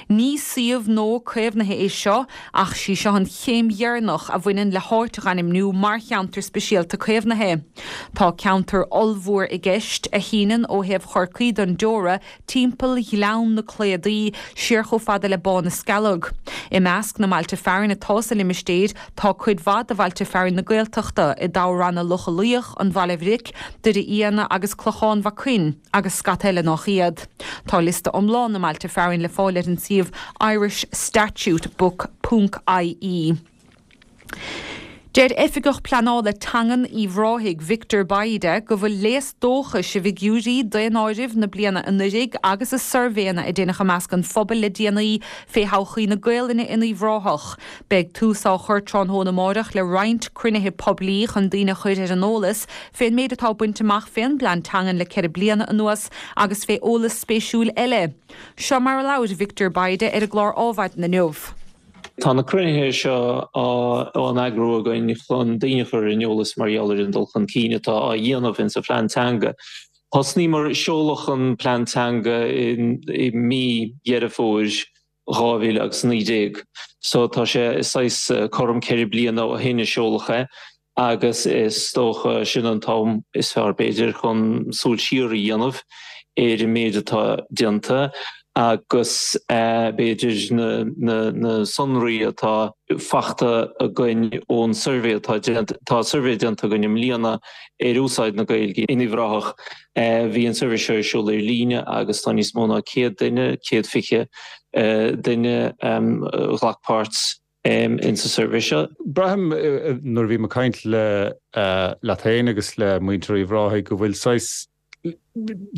Ní suíomh nua caomhnaithe é seo ach sí seo an chéim dheireanach a bhaineann le háit a ainmniú mar cheantar speisialta caomhnaithe. Tá ceantar ollmhór i gceist a shíneann ó thaobh Chorcaí den Deora timpeall Ghleann na Cladaí siar chomh fada le Bá na Scealg. I measc na mbailte fearainn atá sa limistéar tá cuid mhaith de bhailte fearainn na Gaeltachta i dtoghranna Locha Luíoch, an Bhaile Bhric, Doire Fhianna agus Clochán Mhac Coinn agus scata eile nach iad. Tá liosta iomlán na mbailte fearainn le fáil ar an suíomh irishstatutebook.ie. Deir Oifigeach Pleanála Teangan Uíbh Ráthaigh Victor Bayda go bhfuil léas dóchais i bhfigiúirí daonáirimh na bliana anuraidh agus i suirbhéanna a deineadh i measc an phobail le déanaí fé thodhchaí na Gaelainne in Uíbh Ráthach. Beidh tús á chur tráthnóna amárach le roinnt cruinnithe poiblí chun daoine a chur ar an eolas fén méid atá bainte amach fén bplean teangan le ceithre bliana anuas agus fé eolas spéisiúil eile. Seo mar a labhair Victor Bayda ar an gclár Adhmhaidin inniu. Tá na cruinnithe seo á n-eagrú againn chun daoine a chur ar an eolas mar gheall ar an dul chun cinn atá á dhéanamh in sa phlean teanga. Thosnaíomar seoladh an plean teanga i mí Dheireadh Fómhair dhá mhíle agus naoi déag. So tá sé saghas cothrom ceithre bliana ó shin a seoladh é agus is dócha sin an t-am is fearr b'fhéidir chun súil siar a dhéanamh ar an méid atá déanta agus b'fhéidir na sonraí atá fachta againn ón suirbhé atá déanta, tá suirbhé déanta againn i mbliana ar úsáid na Gaeilge in Uíbh Ráthach. Bhí an suirbhé seo ar siúl ar líne agus tá níos mó ná céad duine, céad fiche duine a ghlac páirt in sa suirbhé seo. Braithim nuair a bhím ag caint le leat féin agus le muintir Uíbh Ráthaigh go bhfuil saghas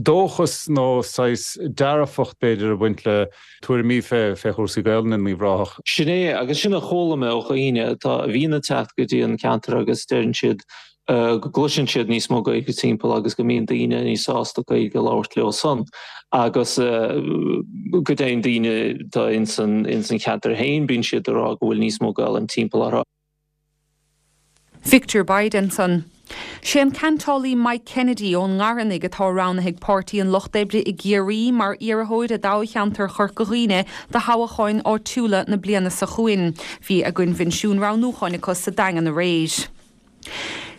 dóchas nó saghas dearfacht b'fhéidir ag baint le tuairimí fé fé chúrsaí Gaelainne in Uíbh Ráthach. Sin é, agus sin a chuala mé ó dhaoine atá a bhíonn ag teacht go dtí an ceantar agus deireann siad go gcloiseann siad níos mó Gaeilge timpeall agus go mbíonn daoine níos sásta Gaeilge a labhairt leo san agus go deimhin daoine atá ins an ins an cheantar féin bíonn siad ag rá go bhfuil níos mó Gaelainn timpeall orthu. Victor Bayda ansan. Sé an ceantálaí Mike Kennedy ón nGartanaigh atá roghnaithe ag Páirtí an Lucht Oibre i gCiarraí mar iarrthóir i dtoghcheantar Chorca Dhuibhne do thoghcháin áitiúla na bliana seo chugainn. Bhí a gcoinbhinsiún roghnúcháin acu sa Daingean aréir.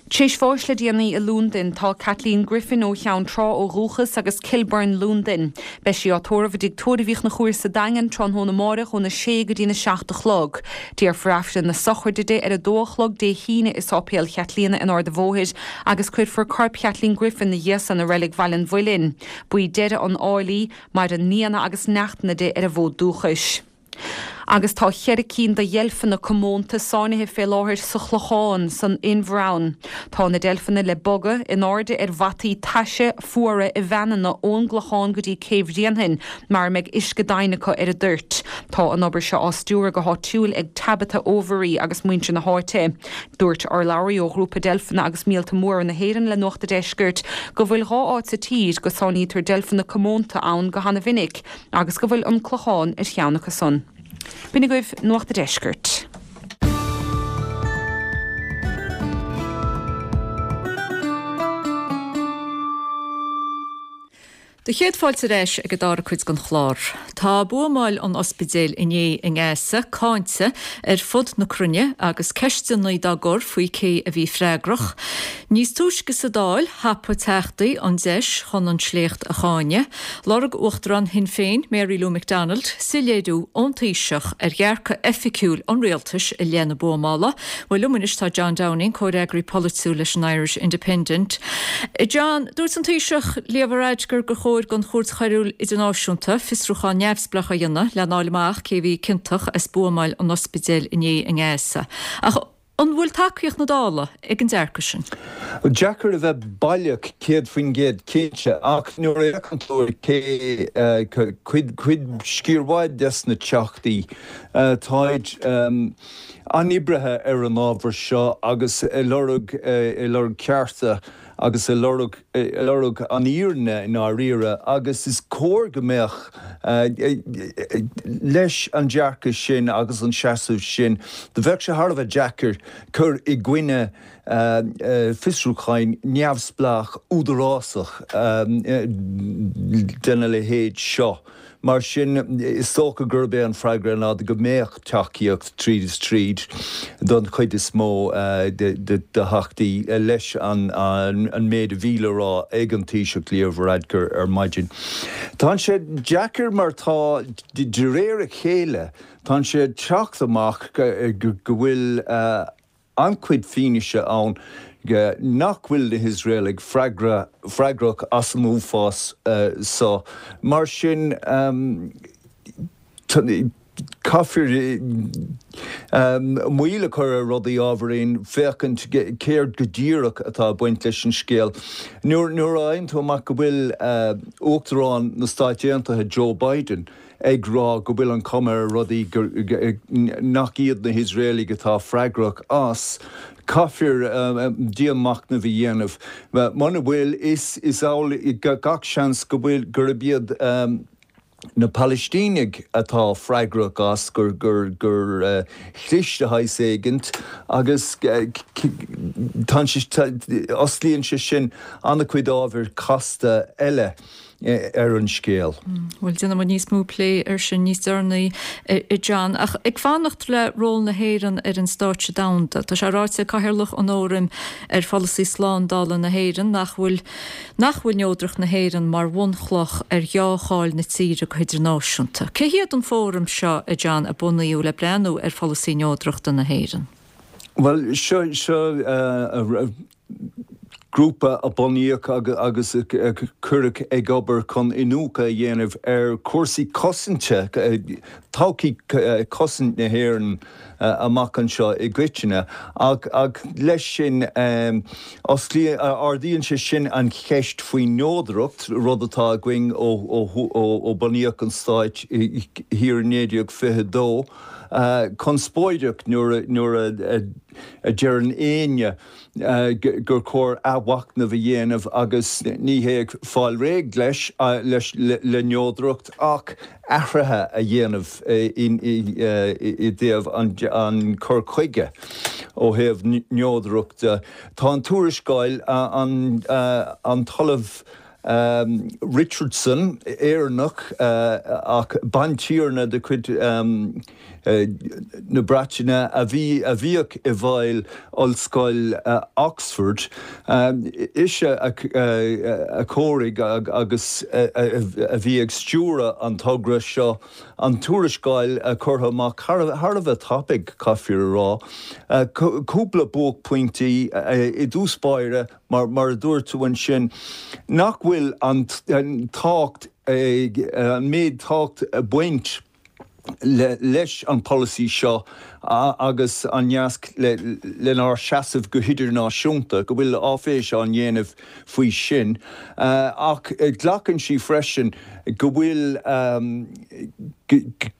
Tréis bháis le déanaí i Londain tá Kathleen Griffin ó Cheann Trá ó dhúchas agus Kilburn, Londain. Beidh sí á tórramh i dTigh Tórraimh Uí Chonchúir sa Daingean tráthnóna amárach óna sé go dtína seacht a chlog. Déarfar Aifreann na sochraide di ar a dó a chlog Dé hAoine i Sáipéal Chaitlíona in Ard a' Bhóthair agus cuirfear corp Kathleen Griffin ina dhiaidh san i Reilig Bhaile an Mhuilinn. Ba í deireadh an áil í, maireann nianna agus neachtanna di ar an bhfód dúchais. Agus tá cheithre cinn de dheilfeanna comónta sáinnithe fé láthair sa Chlochán, san Inbhear ann. Tá na deilfeanna le bogadh in airde ar bhataí taise fuara i veaineanna ón gClochán go dtí Céibh Bhréanainn, mar a mbeidh uisce doimhin acu ar a dtoirt. Tá an obair seo á stiúradh go háitiúil ag Tabitha Overy agus muintir na háite. Dúirt urlabhraí ó Ghrúpa Deilfeanna agus Míolta Móra na hÉireann le Nuacht a' Deiscirt go bhfuil dhá áit sa tír go sáinnítear deilfeanna comónta ann go hana-mhinic agus go bhfuil an Clochán ar cheann acu san. B'in agaibh Nuacht a' Deiscirt. Do chéad fáilte ar ais ag an dara cuid den chlár. Tá buamáil an ospidéil inné i nGaza cáinte ar fud na cruinne agus ceisteanna dá gcur faoi cé a bhí freagrach. Níos túisce sa Dáil, thapaigh teachtaí an deis chun an sléacht a cháineadh. Lorg Uachtarán Shinn Féin, Mary Lou McDonald, soiléiriú ón Taoiseach ar dhearcadh oifigiúil an rialtais i leith na buamála. Bhuel, liom anois tá John Downing, comhfhreagraí polaitiúil leis an Irish Independent. John, dúirt an Taoiseach Leo Varadkar gur chóir don Chúirt Choiriúil Idirnáisiúnta fiosrúchán neamhspleách a dhéanamh lena fháil amach cé a bhí ciontach as buamáil an ospidéil inné i nGaza. Ach an bhfuil tacaíocht na Dála ag an dearcadh sin? Deacair a bheith baileach céad faoin gcéad cinnte, ach nuair a fhéachann tú ar cé cuid cuid sciar mhaith des na teachtaí táid an-oibrithe ar an ábhar seo agus ag lorg ag lorg cearta agus ag lorg ag lorg an fhírinne i ndáiríre agus is cóir go mbeadh leis an dearcadh sin agus an seasamh sin do bheadh sé thar a bheith deacair cur i gcoinne fiosrúcháin neamhspleách údarásach dena leithéid seo. Mar sin, is dócha gurb é an freagra ná go mbeadh tacaíocht tríd is tríd don chuid is mó de Theachtaí leis an méid a bhí le rá ag an Taoiseach Leo Varadkar ar maidin. Tá sé deacair mar tá, de réir a chéile, tá sé ag teacht amach go bhfuil an-chuid fianaise ann nach bhfuil na hIosraelaigh freagrach as an uafás seo. Mar sin, caithfear moill a chur ar rudaí ábhairín, féachaint céard go díreach atá ag baint leis an scéal. Nuair a fhaigheann tú amach go bhfuil Uachtarán na Stáit Aontaithe, Joe Biden, ag rá go bhfuil an chuma ar rudaí nach iad na hIosraelaigh atá freagrach as, caithfear dianmhachnamh a dhéanamh. Muna bhfuil, is amhlaidh gach seans go bhfuil, gurb iad na Palaistínigh atá freagrach as, gur gur chlis de shaghas éigint agus tá sé, osclaíonn sé sin an-chuid ábhar casta eile. ar an scéal. Bhuel, déanfaidh muid níos mó plé air sin níos deireanaí, a John. Ach ag fanacht le ról na hÉireann ar an stáitse domhanda, tá sé ráite ag Cathaoirleach an Fhóraim ar Pholasaí Slándála na hÉireann nach bhfuil nach bhfuil neodracht na hÉireann mar bhunchloch ar dheá-cháil na tíre go hidirnáisiúnta. Cé hiad an fóram seo, a John, a bunaíodh le breathnú ar pholasaí neodrachta na hÉireann? Bhuel, seo seo grúpa a bunaíodh agus a cuireadh ag obair chun iniúchadh a dhéanamh ar chúrsaí cosanta, todhchaí cosaint na hÉireann amach anseo i gcoitinne. Ach leis sin, ardaíonn sé sin an cheist faoin neodracht, rud atá againn ó bunaíodh an Stát thiar i naoi déag fiche a dó, conspóideach nuair a deireann éinne gur chóir athmhachnamh a dhéanamh agus ní hé fáil réidh leis, leis le neodracht ach athruithe a dhéanamh i dtaobh an cur chuige. ó thaobh neodracht de. Tá an tuarascáil, an an tOllamh Richardson, Éireannach ach bantiarna de chuid na Breataine a bhí a bhíodh i bhfeighil Ollscoil Oxford, ise a chóirigh agus a bhí ag stiúradh an togra seo, an tuarascáil curtha amach thar a bheith tapaidh, caithfear a rá. Cúpla buaicphointí i dtús báire, mar a dúirt tú ansin, nach bhfuil an tábhacht, an méid tábhacht ag baint leis an polasaí seo agus an nasc lenár seasamh go hidirnáisiúnta, go bhfuil áiféis á ndéanamh faoi sin. Ach glacann sí freisin go bhfuil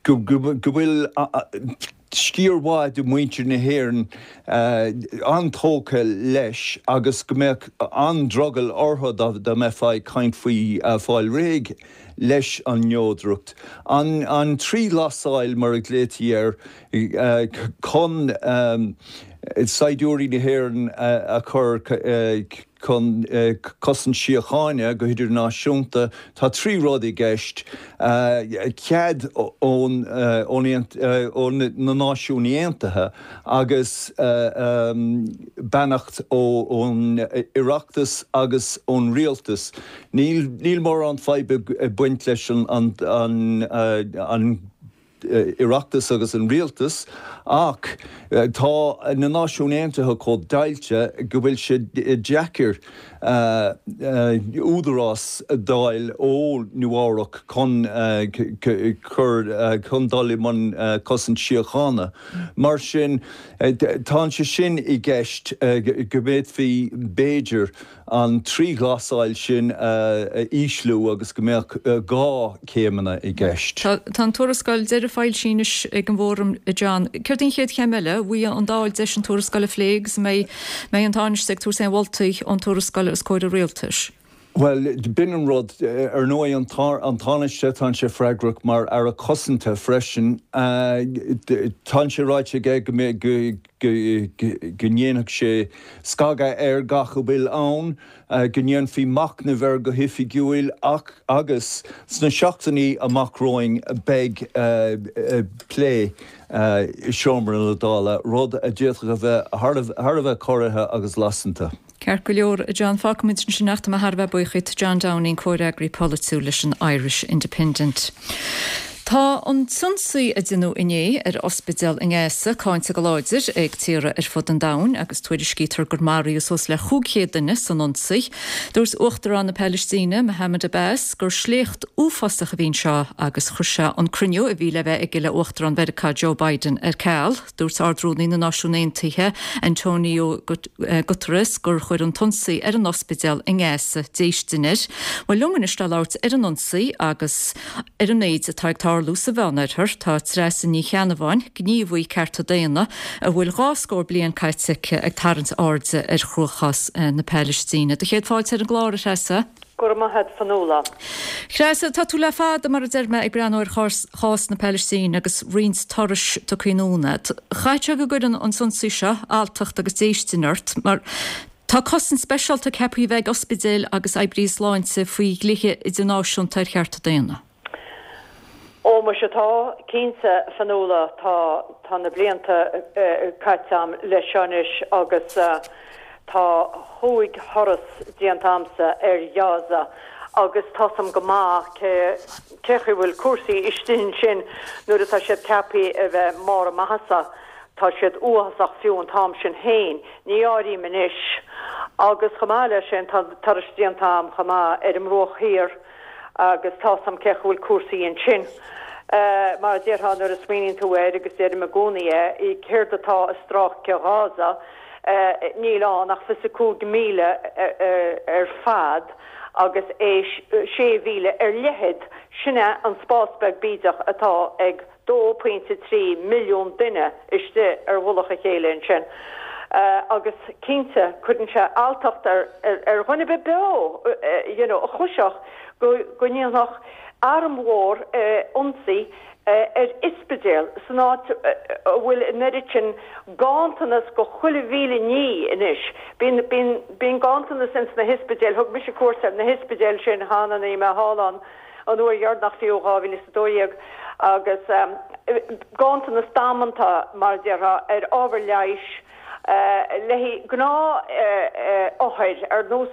go bhfuil sciar mhaith de mhuintir na hÉireann an-tógtha leis agus go mbeadh an-drogall orthu dá mbeifeá ag caint faoi fáil réidh leis an neodracht. An trí ghlasáil, mar a ghlaoití air, chun saighdiúirí na hÉireann a chur chun cosaint síochána go hidirnáisiúnta, tá trí rud i gceist, cead ó na Náisiúin Aontaithe agus beannacht ón Oireachtas agus ón Rialtas. Níl mórán fadhb ag baint leis an Oireachtas agus an Rialtas ach tá na Náisiúin Aontaithe chomh deighilte go bhfuil sé deacair údarás a d'fháil ó Nua-Eabhrac chun cur chun dul i mbun cosaint síochána. Mar sin tá sé sin i gceist go bhféadfaí b'fhéidir an trí ghlasáil sin a ísliú agus go mbeadh dhá céimeanna i gceist. Tá an tuarascáil deiridh foilsithe anois ag an bhFóram, a John. Céard í an chéad chéim eile? An bhfaighidh an Dáil deis an tuarascáil a phlé agus an mbeidh an Tánaiste ag tabhairt aon mholtaí ón tuarascáil os comhair an Rialtais? Bhuel, b'in an rud. Ar ndóigh, an Tánaiste, tá sé freagrach mar Aire Cosanta freisin. Tá sé ráite aige go mbeidh, go ndéanfadh sé scagadh ar gach a bhfuil ann, go ndéanfaí machnamh air go hoifigiúil ach agus sna seachtainí amach romhainn beidh plé i seomra na Dála, rud a d'fhéadfadh a bheith thar a bheith corraithe agus lasanta. Ceart go leor, a John, fágfaimid ansin ach tá mé thar a bheith buíoch díot, John Downing, comhfhreagraí polaitiúil leis an Irish Independent. Tá an t-ionsaí a deineadh inné ar ospidéal i nGaza cáinte go láidir ag tíortha ar fud an domhain agus tuairiscítear gur maraíodh suas le chúig chéad duine san ionsaí. Dúirt Uachtarán na Palaistíne, Mohammed Abbas, gur sléacht uafásach a bhí anseo agus chuir sé an cruinniú a bhí le bheith aige le Uachtarán Mheiriceá Joe Biden ar ceal. Dúirt Ard-Rúnaí na Náisiún Aontaithe, Antonio Guterres, gur chuir an t-ionsaí ar an ospidéal i nGaza déistin air. Bhuel, liom anois le labhairt ar an ionsaí agus ar an méid atá ag tarlú sa Mheánoirthear, tá Treasa Ní Cheannabháin, gníomhaí cearta daonna a bhfuil dhá scór bliain caite aici ag tarraingt airde ar chruachás na Palaistíne. Do chéad fáilte ar an gclár, a Threasa. Go raibh maith agat, Fionnuala. Treasa, tá tú le fada, mar a deir mé, ag breathnú ar chás na Palaistíne agus roinnt turais tugtha anonn agat. Caithfidh sé go gcuireann an t-ionsaí seo alltacht agus déistin ort, mar tá cosaint speisialta ceaptha a bheith ag ospidéil agus oibrithe sláinte faoi dhlíthe idirnáisiúnta ar chearta daonna. Ó, muise tá, cinnte, a Fionnuala, tá, tá na blianta caite a'm leis seo anois agus tá chúig thuras déanta a'msa ar Ghaza agus tá's a'm go maith cé, cé chaoi bhfuil cúrsaí istigh ansin nuair atá siad ceaptha a bheith i mbarr a maitheasa, tá siad uafásach fiú an t-am sin féin, ní áirím anois. Agus chomh maith leis sin tá turais déanta a'm chomh maith ar an mBruach Thiar, Agus tá's a'm cé chaoi bhfuil cúrsaí ansin. Mar a déarfá nuair a smaoiníonn tú air, agus deirim i gcónaí é, céard atá i stráice Ghaza, níl ann ach fiche cúig míle ar fad agus é sé mhíle ar leithead, sin é an spás beag bídeach atá ag dó pointe trí milliún duine istigh ar mhullach a chéile ansin. Agus cinnte, cuireann sé alltacht ar dhuine ar bith beo you know a chloisfeadh go go ndéanfadh arm mhór ionsaí ar ospidéal san áit a bhfuil an oiread sin ganntanas go chuile mhíle ní anois. Bíonn, bíonn, bíonn ganntanas ins na hospidéil, thug mise cuairt ar na hospidéil sin cheana, bhí mé thall ann an uair dheireanach fiú, dhá mhíle is a dó dhéag, agus ganntanas damanta, mar a déarfá, ar ábhar leighis le haghaidh gnáth-othair ar nós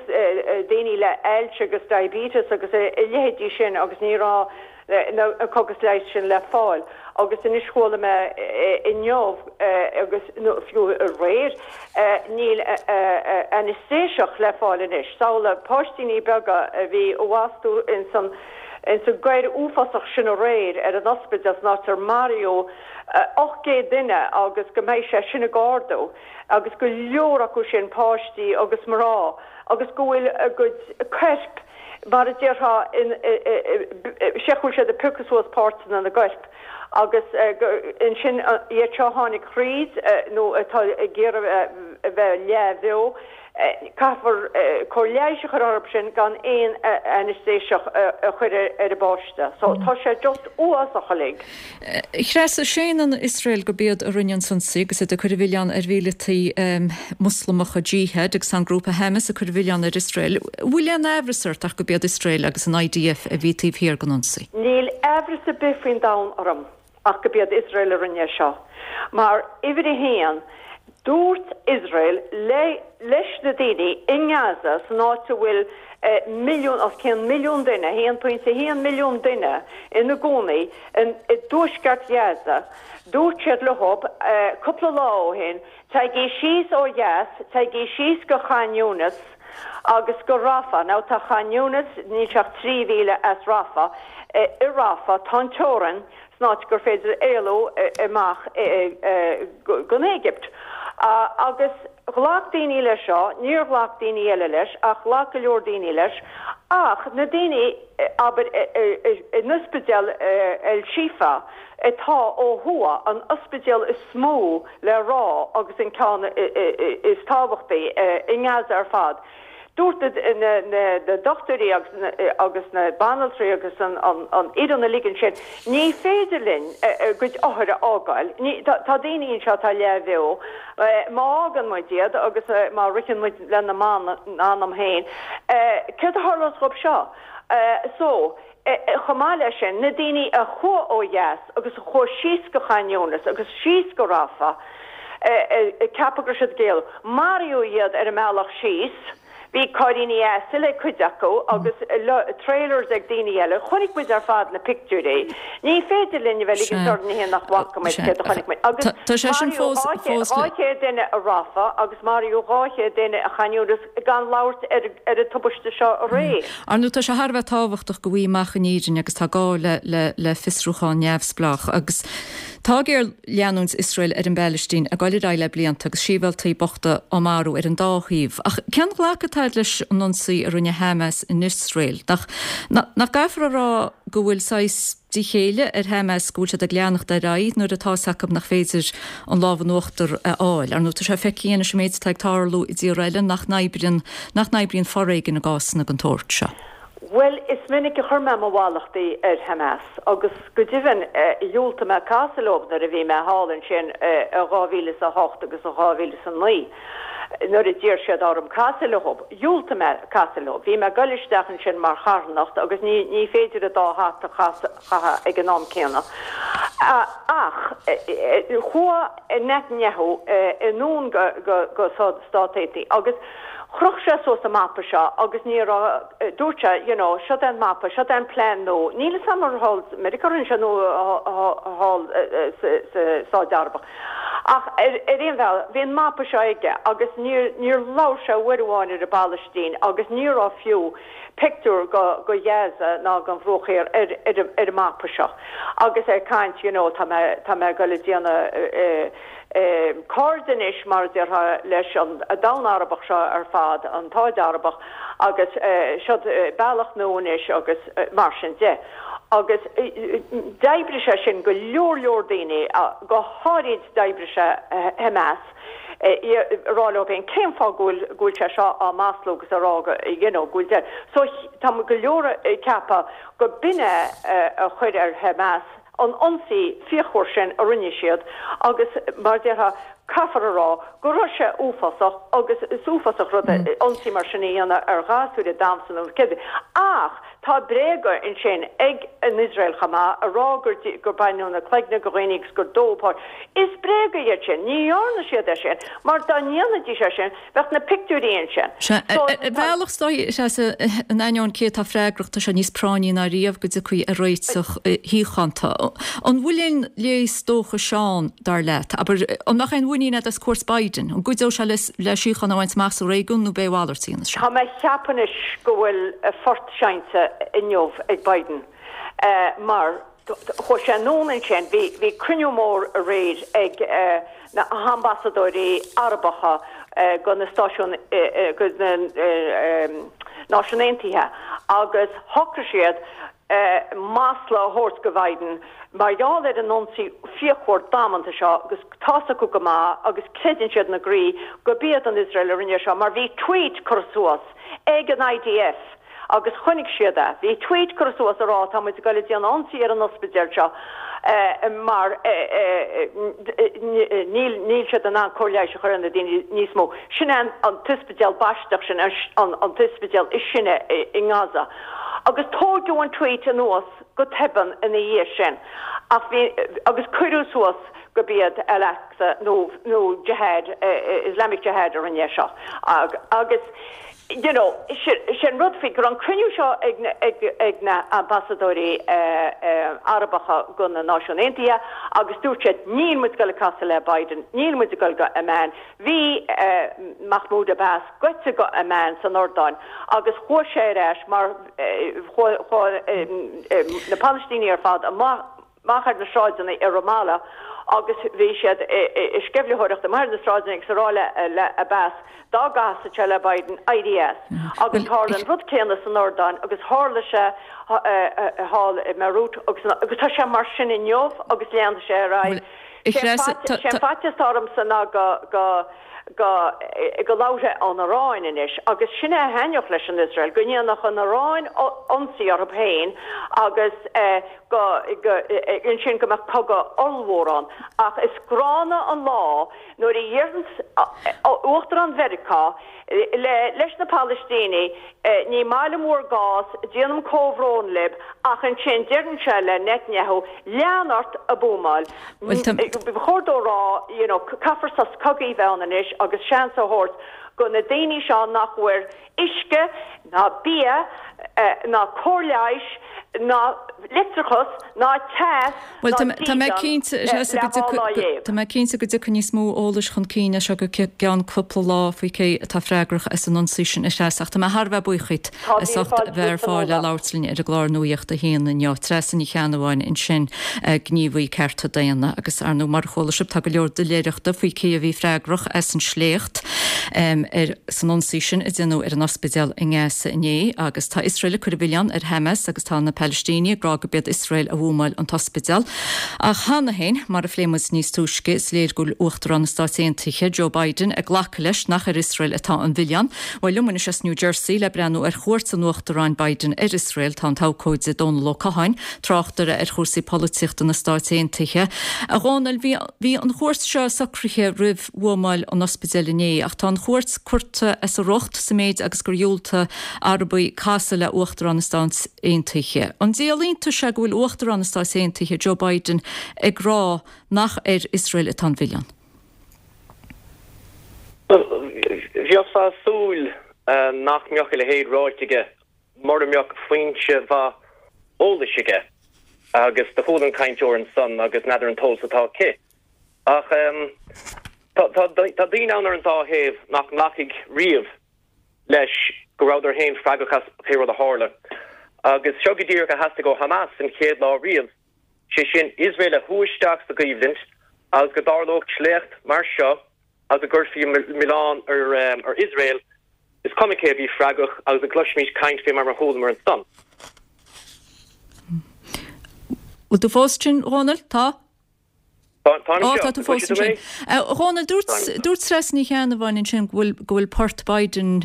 daoine le ailse agus diabetes agus a leithéidí sin agus ní raibh na cógas leighis sin le fáil agus anois chuala mé inniu agus nó fiú aréir níl ainéistéiseach le fáil anois. Samhlaigh páistíní beaga a bhí abhus ins an ins an gcoir uafásach sin aréir ar an ospidéal san áit ar maraíodh ocht gcéad duine agus go mbeidh sé sin ag ardú agus go leor acu sin páistí agus mná agus go bhfuil a gcuid coirp mar a déarfá sé go bhfuil siad ag piocadh suas páirteanna na gcoirp agus ansin iad seo a tháinig thríd nó atá ag iarraidh a bheith leathbheo. Caithfear cóir leighis a chur orthu sin gan aon ainéistéiseach a chur ar an bpáiste. So tá sé just uafásach uilig. Treasa, séanann Iosrael gurb iad a rinne an t-ionsaí agus iad ag cur an mhilleáin ar mhíleataigh Muslamacha Jihad agus an grúpa Hamas ag cur an mhilleáin ar Iosrael. Bhfuil aon aimhreas ort ach gurb iad Iosrael agus an I D F a bhí taobh thiar den ionsaí? Níl aimhreas ar bith faoin domhan orm ach gurb iad Iosrael a rinne seo. Mar uimhir a haon, Dúirt Iosrael le leis na daoine i nGaza, san áit a bhfuil milliún, os cionn milliún duine, a haon pointe a haon milliún duine ina gcónaí i dtuaisceart Ghaza, dúirt siad leo cúpla lá ó shin, Téigí síos ó dheas, téigí síos go Khan Younis agus go Rafah. Now tá Khan Younis, níl sé ach trí mhíle as Rafah. I Rafah tá an teorainn. san áit gur féidir éalú amach gon Éigipt. Agus ghlac daoine leis seo, níor ghlac daoine eile leis, ach ghlac go leor daoine leis, ach na daoine, abair, in ospidéal El Shifa atá ó thuaidh, an ospidéal is mó le rá agus an ceann is tábhachtaí i nGaza ar fad, Dúirt na dochtúirí agus na banaltraí agus an fhoireann uilig ansin, ní féidir linn a gcuid othar a fhágáil. Tá daoine anseo atá leathbheo. Má fhágann muid iad agus má ritheann muid lena n-anam féin, céard a tharlós dhóibh seo? So, chomh maith leis sin, na daoine a chuaigh ó dheas agus a chuaigh síos go Khan Younis agus síos go Rafah, ag ceapadh go raibh siad ag éalú. Maraíodh iad ar an mbealach síos. Bhí cairríní asail ag cuid acu agus trailers ag daoine eile. Chonaic muid ar fad na pictiúirí. Ní féidir linn a bheith ag ligint orainn féin nach bhfaca muid céard a chonaic muid. Agus maraíodh dhá chéad duine i Rafah agus maraíodh dhá chéad duine i Khan Younis gan labhairt ar an tubaiste seo aréir. Ar ndóigh tá sé thar a bheith tábhachtach go bhfaighfí amach an fhírinne agus tá gá le fiosrúchán neamhspleách agus Tá géarleanúint Iosrael ar an bPalaistín ag dul ar aghaidh le blianta agus sibhialtaigh bochta á marú ar an dá thaobh. Ach cén ghlacadh atá agat leis an ionsaí a rinne Hamas in Iosrael? Nach nach gcaithfear a rá go bhfuil saghas díchéille ar Hamas go bhfuil siad ag leanacht ar aghaidh nuair atá 'fhios acu nach féidir an lámh in uachtar a fháil? Ar ndóigh tá sé feicthe anois an méid atá ag tarlú i dtíortha eile nach n-oibríonn nach n-oibríonn foréigean i gcásanna den tsórt seo. Bhuel, is minic a chuir mé mo mhallachtaí ar Hamas agus go deimhin dhiúltaigh mé casadh leo nuair a bhí mé thall ansin i dhá mhíle is a hocht agus i dhá mhíle is a naoi nuair a d'iarr siad orm casadh leo. Dhiúltaigh mé casadh leo. Bhí mé ag dul isteach ansin mar charthanacht agus ní ní féidir an dá hata a chaitheamh ag an am céanna. Ach chuaigh Netanyahu anonn go go go Stáit Aontaithe agus Chroch sé suas an mapa seo agus ní raibh, dúirt sé, you know, seo é an mapa, seo é an plean nua. Níl 'fhios a'm ar thall i Meiriceá a rinne sé nó thall sa Stáit Arabach. Ach ar aon bhealach, bhí an mapa seo aige agus níor, níor labhair sé uair amháin ar an bPalaistín agus ní raibh fiú pictiúr go, go Gaza ná gon Bhruach Thiar ar, ar, ar an mapa seo. Agus é ag caint, you know, tá mé, tá mé ag dul a déanamh, cairde anois, mar a déarfá, leis an domhan Arabach seo ar fad, an tSáid Arabach, agus seo bealach nua anois agus mar sin de. Agus d'oibrigh sé sin go leor leor daoine, go háirid d'oibrigh sé Hamas, a rá leo féin cén fáth go bhfuil go bhfuil sé seo á maslú agus a rá go you know go bhfuil deir. So tá go leor ag ceapadh go b'in é a chuir ar Hamas, an ionsaí fíochmhar sin a rinne siad agus mar déarfá caithfear a rá go raibh sé uafásach agus is uafásach rud é ionsaí mar sin a dhéanamh ar ghasúir ag damhsa nó cibé ach tá bréaga ansin ag an Iosrael chomh maith a rá gur gur baineadh na cloigne de dhaoine agus gur dódh páistí. Is bréaga iad sin. Ní dhearna siad é sin mar dá ndéanfaidís é sin bheadh na pictiúirí ansin. Sea, ar bhealach is dóigh, Treasa, in ainneoin cé atá freagrach, tá sé níos práinní ná riamh go dtiocfaí ar réiteach shíochánta. An bhfuil aon léas dóchais ann, dar leat? Abair, an mbeadh aon mhuinín agat as cuairt Biden? An gcuideodh sé le síocháin a bhaint amach sa réigiún nó b'é a mhalairt a dhéanfas sé? Tá mé ag ceapadh anois go bhfuil port seinnte inniu ag Biden mar chuaigh sé anonn ansin, bhí bhí cruinniú mór aréir ag na hambasadóirí Arabacha go na Stáisiún go na Náisiúin Aontaithe agus shocraigh siad masla a thabhairt go Biden mar gheall ar an ionsaí fíochmhar damanta seo agus tá's acu go maith agus creideann siad ina gcroí go b'iad an Iosrael a rinne seo mar bhí tweet curtha suas ag an I D F agus chonaic siad é. Bhí tweet curtha suas a rá tá muid ag dul ag déanamh ionsaí ar an ospidéal seo mar níl níl siad in ann cóir leighis a chur ar na daoine níos mó. Sin é an t-ospidéal baisteach sin an t-ospidéal is sine i nGaza. Agus tóigeadh an tweet anuas go tobann ina dhiaidh sin ach bhí agus cuireadh suas go b'iad Al-Aqsa nó nó Jihad Islamic Jihad a rinne é seo agus you know sin rud faoi go raibh an cruinniú seo ag na ag ag na ambasadóirí Arabacha go na Náisiúin Aontaithe agus dúirt siad níl muid ag dul ag casadh le Biden, níl muid ag dul go Amman. Bhí Mahmoud Abbas gaibhte go Amman san Iordáin agus chuaigh sé ar ais mar chuaigh na Palaistínigh ar fad amach amach ar na sráideanna i Ramallah agus bhí siad ag sceimhlitheoireacht amach ar na sráideanna agus ag rá le Abbas dá gcasfadh sé le Biden éirí as. Agus tharla an rud céanna san Iordáin agus tharla sé thall i mBeirút agus agus tá sé mar sin inniu agus leanfaidh sé ar aghaidh. Sé an faitíos atá ormsa ná go go go go labharfaidh an Iaráin anois agus sin é a thaitneodh leis an Iosrael, go ndéanfadh an Iaráin ionsaí orthu féin agus go go ansin go mbeadh cogadh ollmhór ann. Ach is gránna an lá nuair a dheireanns Uachtarán Mheiriceá le leis na Palaistínigh ní maith liom bhur gcás, déanaim comhbhrón libh ach ansin deireann sé le Netanyahu lean ort ag buamáil. Ba chóir dó rá you know caithfear sos cogaidh a bheith ann anois agus seans a thabhairt go na daoine seo nach bhfuair uisce ná bia ná cóir leighis ná leictreachas ná teas Bhuel, ná tá mé dídean cinnte, le dhá lá dhéag. Tá mé cinnte go dtiocfaidh níos mó eolais chun cinn as seo go ceann cúpla lá faoi cé atá freagrach as an ionsaí sin a Threasa ach tá mé thar a bheith buíoch díot Tá as míle ucht fáilte bheith ar romhat fáil le Fionnuala. labhairt linn ar an gclár Nuacht a hAon inniu. Treasa Ní Cheannabháin ansin, gníomhaí cearta daonna agus ar ndóigh mar a chuala sibh tá go leor doiléireachta faoi cé a bhí freagrach as an sléacht ar san ionsaí sin a déanadh ar an ospidéal i nGaza inné agus tá Iosrael ag cur an mhilleáin ar Hamas agus tá na Palaistínigh ag rá go b'iad Iosrael a bhuamáil an t-ospidéal. Ach cheana féin, mar a phléigh muid níos túisce, is léir go bhfuil Uachtarán na Stáit Aontaithe, Joe Biden, ag glacadh leis nach ar Iosrael atá an mhilleán. Bhuel liom anois as New Jersey le breathnú ar chuairt an Uachtaráin Biden ar Iosrael tá an t-abhcóide Dónal Ó Catháin, tráchtaire ar chúrsaí polaitíochta na Stáit Aontaithe. A Dhónaill, bhí bhí an chuairt seo socraithe roimh bhuamáil an ospidéil inné, ach tá an chuairt curtha as a riocht sa méid agus gur dhiúltaigh Arabaigh casadh le Uachtarán na Stáit Aontaithe. An díol iontais é go bhfuil Uachtarán na Stáit Aontaithe, Joe Biden, ag rá nach ar Iosrael atá an mhilleán? Bheifeá ag súil nach mbeadh a leithéid ráite aige mura mbeadh foinse mhaith eolais aige agus do chuala an cainteoir ansan agus n'fheadar an t-eolas atá aici. Ach tá daoine ann ar an dá thaobh nach nglacfaidh riamh leis go rabhadar féin freagrach as pé rud a tharla. Agus seo go díreach a theastaigh ó Hamas an chéad lá riamh, sé sin Iosrael a shú isteach sa gcoimhlint agus go dtarlódh sléacht mar seo agus go gcuirfí milleán ar Iosrael, is cuma cé a bhí freagrach agus go gcloisfimís caint fé mar a chualamar ansan. Bhfuil tú fós ansin, a Dhónaill? Tá? Táim Ó, anseo. tá tú fós Cloiseann tú ansin. mé? A Dhónaill, dúirt Táim. dúirt Treasa Ní Cheannabháin ansin go bhfuil go bhfuil port Biden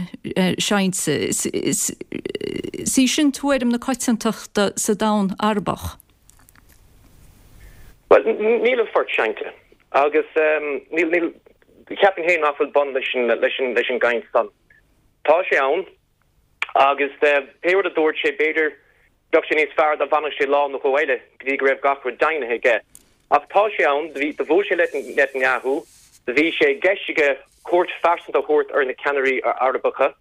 seinnte. Is is is í sin tuairim na coitiantachta sa domhan Arabach. Well, níl an phort seinnte agus níl níl ceapaim féin nach bhfuil bun leis an leis an leis an gcaint san. Tá sé ann agus pé rud a dúirt sé b'fhéidir bheadh sé níos fearr dá bhfanfadh sé lá nó dhó eile go dtí go raibh gach rud deimhnithe aige. Ach tá sé ann, do bhí do bhuail sé le Netanyahu, do bhí sé i gceist aige cuairt phearsanta a thabhairt ar na ceannairí Arabacha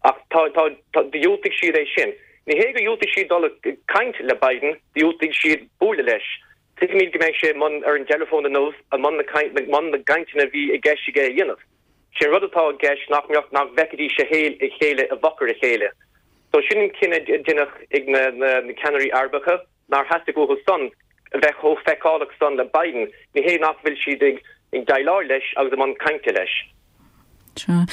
ach tá tá tá dhiúltaigh siad é sin. Ní hé gur dhiúltaigh siad dul ag caint le Biden, dhiúltaigh siad bualadh leis. Tuigimid go mbeidh sé i mbun ar an dteileafón inniu i mbun na i mbun na gcainteanna a bhí i gceist aige a dhéanamh. Sé an rud atá i gceist nach mbeadh nach bhfeicfidís a a chéile i bhfochair a chéile. So sin an cinneadh a deineadh ag na na ceannairí Arabacha nár theastaigh uathu san a bheith chomh feiceálach san le Biden. Ní hé nach bhfuil siad ag ag déileáil leis agus i mbun cainte leis. Sea.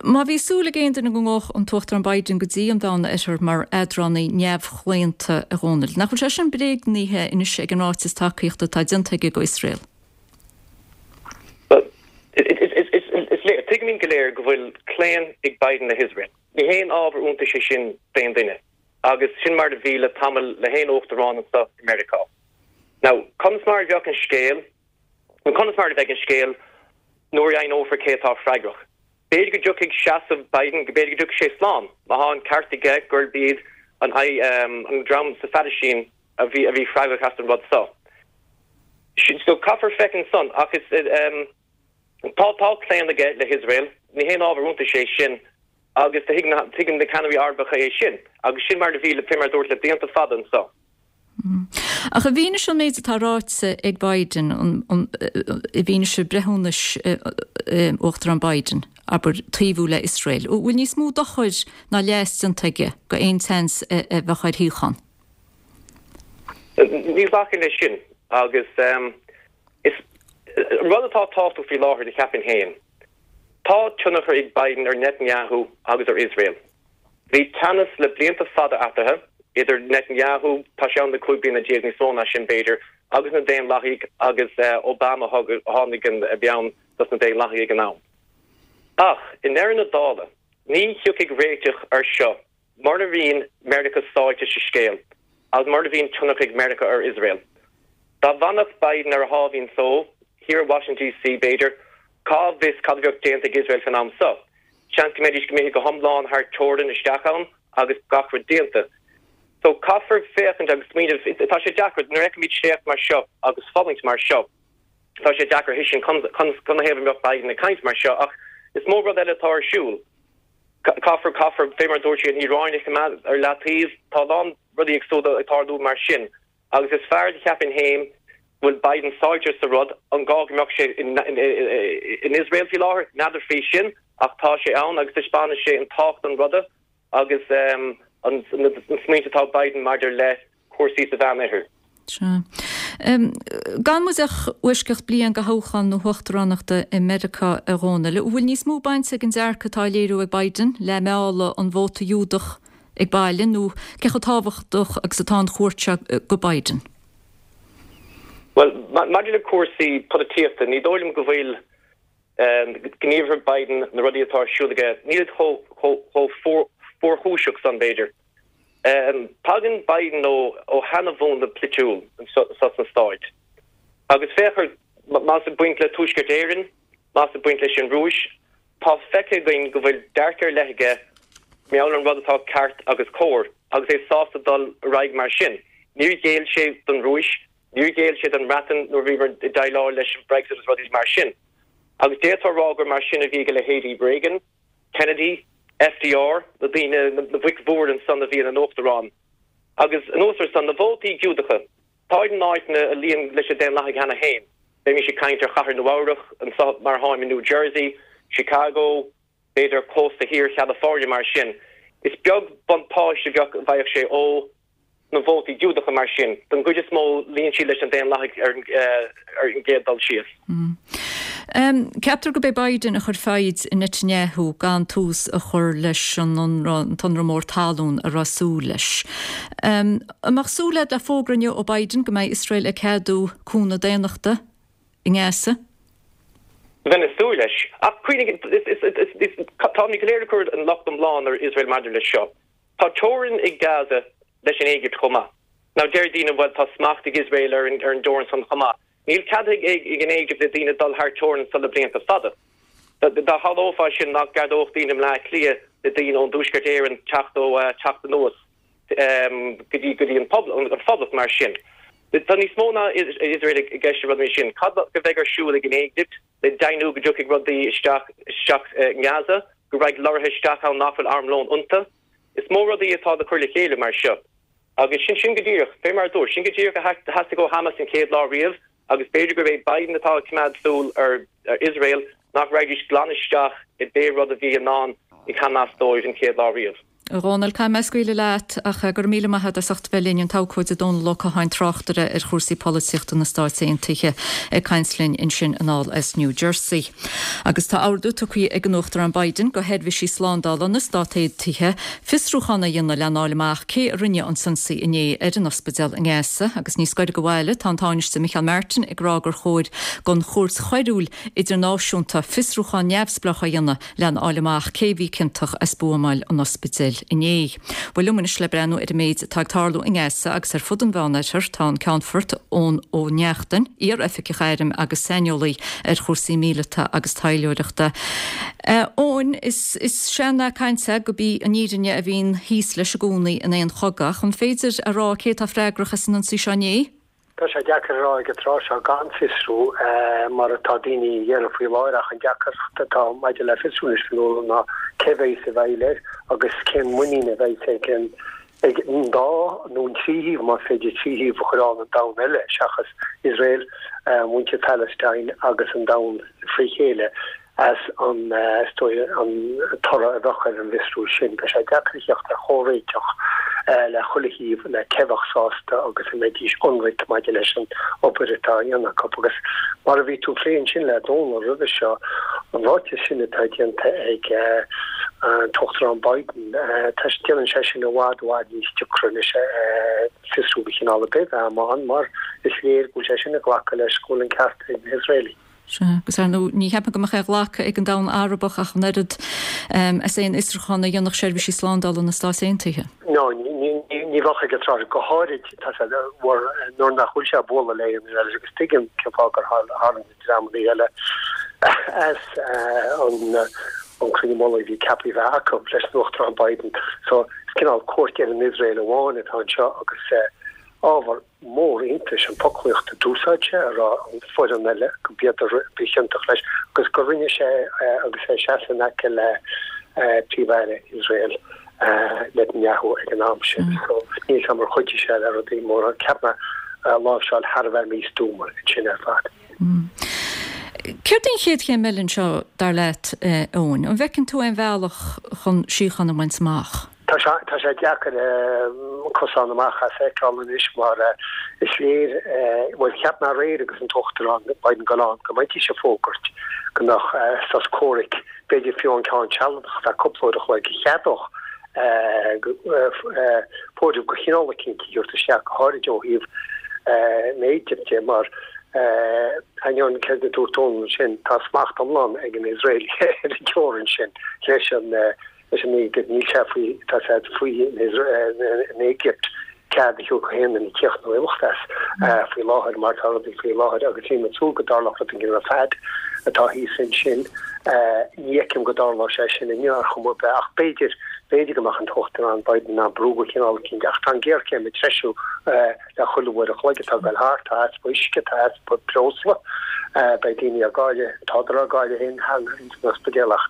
Má bhí súil ag aon duine go ngabhfadh an tUachtarán Biden go dtí an Mheánoirthear mar eadránaí neamhchlaonta, a Dhónaill, nach bhfuil sé sin bréagnaithe anois ag an ráiteas tacaíochta atá déanta aige go Iosrael? Bhuel, is léir, tuigimid go léir go bhfuil claon ag Biden le hIosrael. Ní haon ábhar iontais é sin d'aon duine. Agus sin mar a bhí le tamall le haon uachtarán anseo i Meiriceá. Now, conas mar a bheadh an scéal, nó conas mar a bheidh an scéal nuair a dheimhneofar cé atá freagrach? B'fhéidir go dtiocfaidh seasamh Biden, go b'fhéidir go dtiocfaidh sé slán, má tá an ceart aige gurb iad an an dream sa Phalaistín a bhí a bhí freagrach as an rud seo. So caithfear féachaint ansan ach is tá tá claon aige le hIosrael, ní haon ábhar iontais é sin agus tuigeann na ceannairí Arabacha é sin agus sin mar a bhí le fé mar a dúirt le blianta fada anso. Ach i bhfianaise an méid atá ráite ag Biden, i bhfianaise breithiúnais Uachtarán Biden, abair, taobhú le Iosrael, an bhfuil níos mó dochair ná leas déanta aige go aon tseans a bheadh ar shíocháin? Ní ghlacfainn leis sin agus is rud atá tábhachtach faoi láthair do cheapfainn féin, tá tionchar ag Biden ar Netanyahu agus ar Iosrael. Bhí teannas le blianta fada eatarthu, idir Netanyahu, tá sé ann le cúig bliana déag, níos mó ná sin b'fhéidir, agus na Daonlathaigh agus Obama a tháinig a bhí ann dos na Daonlathaigh ag an am. Ach, i ndeireadh na dála, ní thiocfaidh réiteach ar seo mura mbíonn Meiriceá sáite sa scéal agus mura mbíonn tionchar ag Meiriceá ar Iosrael. Dá bhfanfadh Biden ar a sháimhín só, thiar i Washington DC b'fhéidir, cá bhfios cad a bheadh déanta ag Iosrael fan am so. Seans go mbeidís imithe go hiomlán thar teorainn isteach ann agus gach rud déanta. So caithfear féachaint agus smaoineamh, tá sé deacair, nuair a fheicimid sléacht mar seo agus fulaingt mar seo, tá sé deacair a thuiscint canathaobh a mbeadh Biden ag caint mar seo ach is mó rud eile atá ar siúl. Caithfear, caithfear, fé mar a dúirt sé, an Iaráin a choimeád ar leataobh, tá a lán rudaí éagsúla ag tarlú mar sin agus is fearr do cheapfainn féin go bhfuil Biden sáite sa rud, an gá go mbeadh sé in Iosrael faoi láthair? N'fheadar faoi sin ach tá sé ann agus taispeánann sé an tábhacht an ruda agus an smaointe atá ag Biden maidir le cúrsaí sa Mheánoirthear. Sea. Gan muid ach foisceacht bliain go thoghchán na huachtaránachta i Meiriceá, a Dhónaill, an bhfuil níos mó bainte ag an dearcadh atá á léiriú ag Biden le mealladh an vóta Giúdach ag baile nó cé chomh tábhachtach agus atá an chuairt seo go Biden? Bhuel, maidir le cúrsaí polaitíochta, ní dóigh liom go bhfuil gníomhartha Biden, na rudaí atá ar siúl aige, nílid chomh fuarchúiseach san, b'fhéidir. Tagann Biden ó sheana-mhúnla polaitiúil anseo sna Stáit. Agus féach ar, más ag baint le Tuaisceart Éireann, más ag baint leis an Rúis, tá feicthe againn go bhfuil dearcadh ar leith aige mar gheall ar an rud atá ceart agus cóir, agus é sásta dul ar aghaidh mar sin. Níor ghéill sé don Rúis, níor ghéill sé don mBreatain nuair a bhíomar ag déileáil leis an Brexit agus rudaí mar sin. Agus d'fhéadfá a rá gur mar sin a bhí ag a leithéidí Reagan, Kennedy, FDR, na daoine, na boic mhóra ansan a bhí ina n-uachtaráin. Agus anuas ar san, na vótaí Giúdacha, táid in áiteanna a luíonn leis na Daonlathaigh cheana féin. Bheimis ag caint ar Chathair Nua-Eabhrac, anso mar atáim i New Jersey, Chicago, b'fhéidir cósta thiar Chalifornia mar sin. Is beag buntáiste a bheadh, a bhfaigheadh sé ó na vótaí Giúdacha mar sin. Don gcuid is mó, luíonn siad leis na Daonlathaigh ar an gcéad dul síos. Ceaptar gurb é Biden a chuir foighid i Netanyahu gan tús a chur leis an ionradh, an t-ionradh mór talún a raibh súil leis. An mbeadh súil agat le fógra inniu ó Biden go mbeidh Iosrael ag ceadú cúnamh daonnachta i nGaza? Bheinn ag súil leis. Ach cuimhnigh, táimid go léir ag cur an locht iomlán ar Iosrael maidir leis seo. Tá teorainn ag Gaza leis an Éigipt chomh maith. Now deir daoine bhuel tá smacht ag Iosrael ar an ar an dteorainn san chomh maith. Níl cead ag ag an Éigipt le daoine dul thar teorainn ansan le blianta fada. Dá tharlódh sin nach gceadódh daoine i mBleá Cliath le daoine ón dTuaisceart Éireann teacht ó teacht anuas go dtí go dtí an pobl an phoblacht mar sin. Tá níos mó ná Iosrael i gceist i rud mar sin. Cad a bheidh ar siúl ag an Éigipt le deimhniú go dtiocfaidh rudaí isteach isteach i nGaza, go raghaidh lorraithe isteach ann nach bhfuil armlón iontu. Is mó rudaí atá le cur le chéile mar seo. Agus sin sin go díreach, fé mar a dúirt, sin go díreach a theastaigh ó Hamas an chéad lá riamh agus b'fhéidir gurb é Biden atá ag coimeád súil ar Iosrael nach raghaidís glan isteach i bpé rud a bhí i ndán ag Hamas dóibh an chéad lá riamh. A Dhónaill, caithfidh mé scaoileadh leat ach go raibh míle maith agat as ucht bheith linn an t-abhcóide Dónal Ó Catháin tráchtaire ar chúrsaí polaitíochta na Stáit Aontaithe ag caint linn ansin anall as New Jersey. Agus tá ordú tugtha ag an Uachtarán Biden go sheirbhísí slándála na Stát Aontaithe fiosrúchán a dhéanamh lena fháil amach cé a rinne an t-ionsaí inné ar an ospidéal i nGaza agus níos gaire go bhaile tá an Tánaiste Micheál Martin ag rá gur chóir don Chúirt Choiriúil Idirnáisiúnta fiosrúchán neamhspleách a dhéanamh lena fháil amach cé bhí ciontach as buamáil an ospidéil inné. Bhuel liom anois le breathnú ar an méid atá ag tarlú i nGaza agus ar fud an Mheánoirthir tá an Ceannfort Eoin Ó Neachtain, iar-oifigeach airm agus saineolaí ar chúrsaí míleata agus taidhleoireachta. Eoin, is is sean-nath cainte gurb í an fhírinne a bhíonn thíos leis i gcónaí in aon chogadh. An féidir a rá cé atá freagrach as an ionsaí seo inné? Tá sé deacair a rá ag an tráth seo gan fiosrú mar atá daoine a dhéanamh faoi láthair ach an deacracht atá maidir le fiosrú anois Fionnuala ná cé bheidh sa bhfeighil air agus cén muinín a bheidh ag an ag an dá nó an trí thaobh más féidir trí thaobh a chur ann an domhan eile seachas Iosrael, muintir Palestine agus an domhan fré chéile. as an is dóigh an toradh a bheadh ar an bhfiosrú sin. Beidh sé deacair a theacht ar chomhréiteach le chuile thaobh le cé bheadh sásta agus a mbeidís ionraic maidir leis an obair atá á dhéanamh acu. Agus mar a bhí tú ag plé ansin le Dónal roimhe seo, an ráiteas sin atá déanta ag an tUachtarán Biden, déanann sé sin i bhfad, i bhfad níos deacra anois fiosrú de chineál ar bith a bheith ann mar is léir go bhfuil sé sin ag glacadh leis go bhfuil an ceart ag na hIosraelaigh. Sea, agus ar ndóigh, ní cheapaim go mbeadh aon ghlacadh ag an domhan Arabach ach an oiread as aon fhiosrúchán a dhéanfadh seirbhísí slándála na Stát Aontaithe. No, ní bheadh ag an tráth, go háirid nuair nach bhfuil sé ag bualadh le aon duine eile agus tuigim cén fáth gur tharraing na dreamanna eile as an cruinniú mullaigh a bhí ceaptha a bheith acu leis an Uachtarán Biden. So, is cineál cuairt ar an Iosrael amháin atá anseo agus ábhar mór iontais an fhoclaíocht a d'úsáid sé a rá an foireann eile go b'iad a ba chiontach leis agus gur rinne sé agus é ag seasamh in aice le Príomh-Aire Iosrael Netanyahu ag an am sin. So níl 's a'm ar chuidigh sé le rudaí móra. Cheap mé láimhseáil thar a bheith místuama ansin ar fad. Céard é an chéad chéim eile anseo, dar leat, Eoin? An bhfeiceann tú aon bhealach chun síocháin a bhaint amach? Tá sé tá sé deacair cosán amach as a fheiceáil anois mar is léir, bhuel cheap mé aréir agus an tUachtarán Biden ag dul ann go mbeidís ag fógairt go mbeadh sos comhraic, b'fhéidir fiú an ceann sealadach ar feadh cúpla uair a chloig a cheadódh fóideamh de chineál eicínt a thabhairt isteach go háirid ó thaobh na hÉigipte mar ainneoin céard a dúirt Dónal ansin tá smacht iomlán ag an Iosrael ar an teorainn sin leis an leis an Éigipt, níl sé faoi, tá sé faoi an Éigipt cead a thabhairt do aon duine tíocht nó imeacht as faoi láthair mar tá rudaí faoi láthair agus bím ag súil go dtarlódh rud éigin fad atá thíos ansin. Ní fheicim go dtarlódh sé sin inniu ar chuma ar bith ach b'fhéidir, b'fhéidir go mbeadh an tUachtarán Biden in ann brú de chineál eicínt ach tá an ghéarchéim ag treisiú le chuile uair a chloig atá ag dul thart, tá easpa uisce, tá easpa breosla, beidh daoine á gcailleadh, tádar á gcailleadh féin cheana ins an ospidéal ach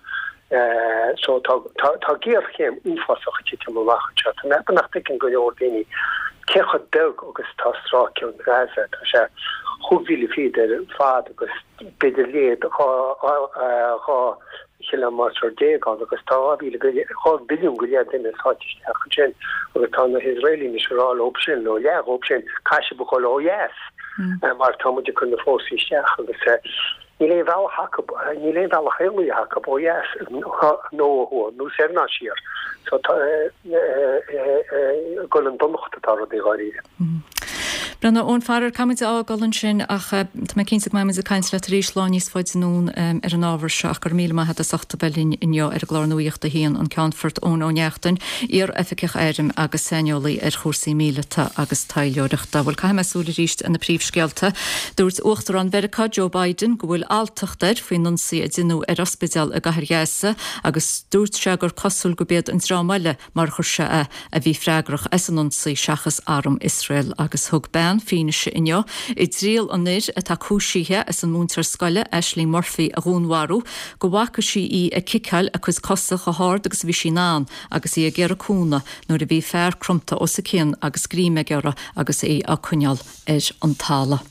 So tá tá géarchéim uafásach ag titim amach anseo. Tá mé ag ceapadh nach dtuigeann go leor daoine cé chomh beag agus atá stráice Ghaza. Tá sé chúig mhíle fichead ar fad agus b'fhéidir leithead dhá dhá chiliméadar déag ann agus tá dhá mhíle go leith dhá mhilliún go leith duine sáite isteach ansin agus tá na hIosraelaigh anois ag rá leo sin nó leath dhóibh sin caithfidh sibh a dhul ó dheas mar tá muid ag cur na fórsaí isteach agus Níl aon bhealach acu, níl aon bealach éalaithe acu ó dheas nó ó thuaidh, nó soir ná siar. So tá ag dul chun donacht atá rudaí dháiríre. Bhuel, a Eoin Farrar, caithfidh muid a fhágáil ansin ach tá mé cinnte go mbeidh muid ag caint leat arís lá níos faide anonn ar an ábhar seo ach go raibh míle maith agat as ucht a bheith linn inniu ar an gclár Nuacht a hAon, an Ceannfort Eoin Ó Neachtain, iar-oifigeach airm agus saineolaí ar chúrsaí míleata agus taidhleoireachta. Bhuel, caithfidh mé súil arís ar na príomhscéalta. Dúirt Uachtarán Mheiriceá Joe Biden go bhfuil alltacht air faoin ionsaí a deineadh ar ospidéal i gcathair Ghaza agus dúirt sé gur cosúil gurb iad an dream eile mar a chuir sé é a bhí freagrach as an ionsaí seachas arm Iosrael agus thug bean fianaise inniu i dtriail an fhir atá cúisithe as an múinteoir scoile Ashling Murphy a dhúnmharú go bhfaca sí í ag ciceáil a cuid cosa chomh hard agus a bhí sí in ann agus í ag iarraidh cúnamh nuair a bhí fear cromta os a cionn agus greim aige uirthi agus í á coinneáil ar an talamh.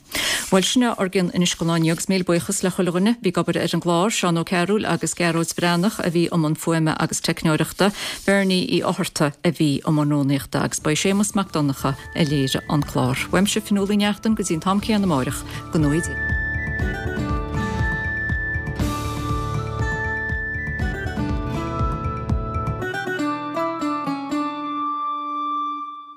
Bhuel sin é ár gcionn anois don lá inniu agus míle buíochas le chuile dhuine a bhí ag obair ar an gclár, Seán Ó Cearúil agus Gearóid Breathnach a bhí i mbun fuaime agus teicneoireachta, Bernie Uí Fhátharta a bhí i mbun rúnaíochta agus ba é Séamus Mac Donncha a léirigh an clár. Uaimse Fionnuala Ní Neachtain go dtí an t-am céanna amárach, go ngnóthaí Dia.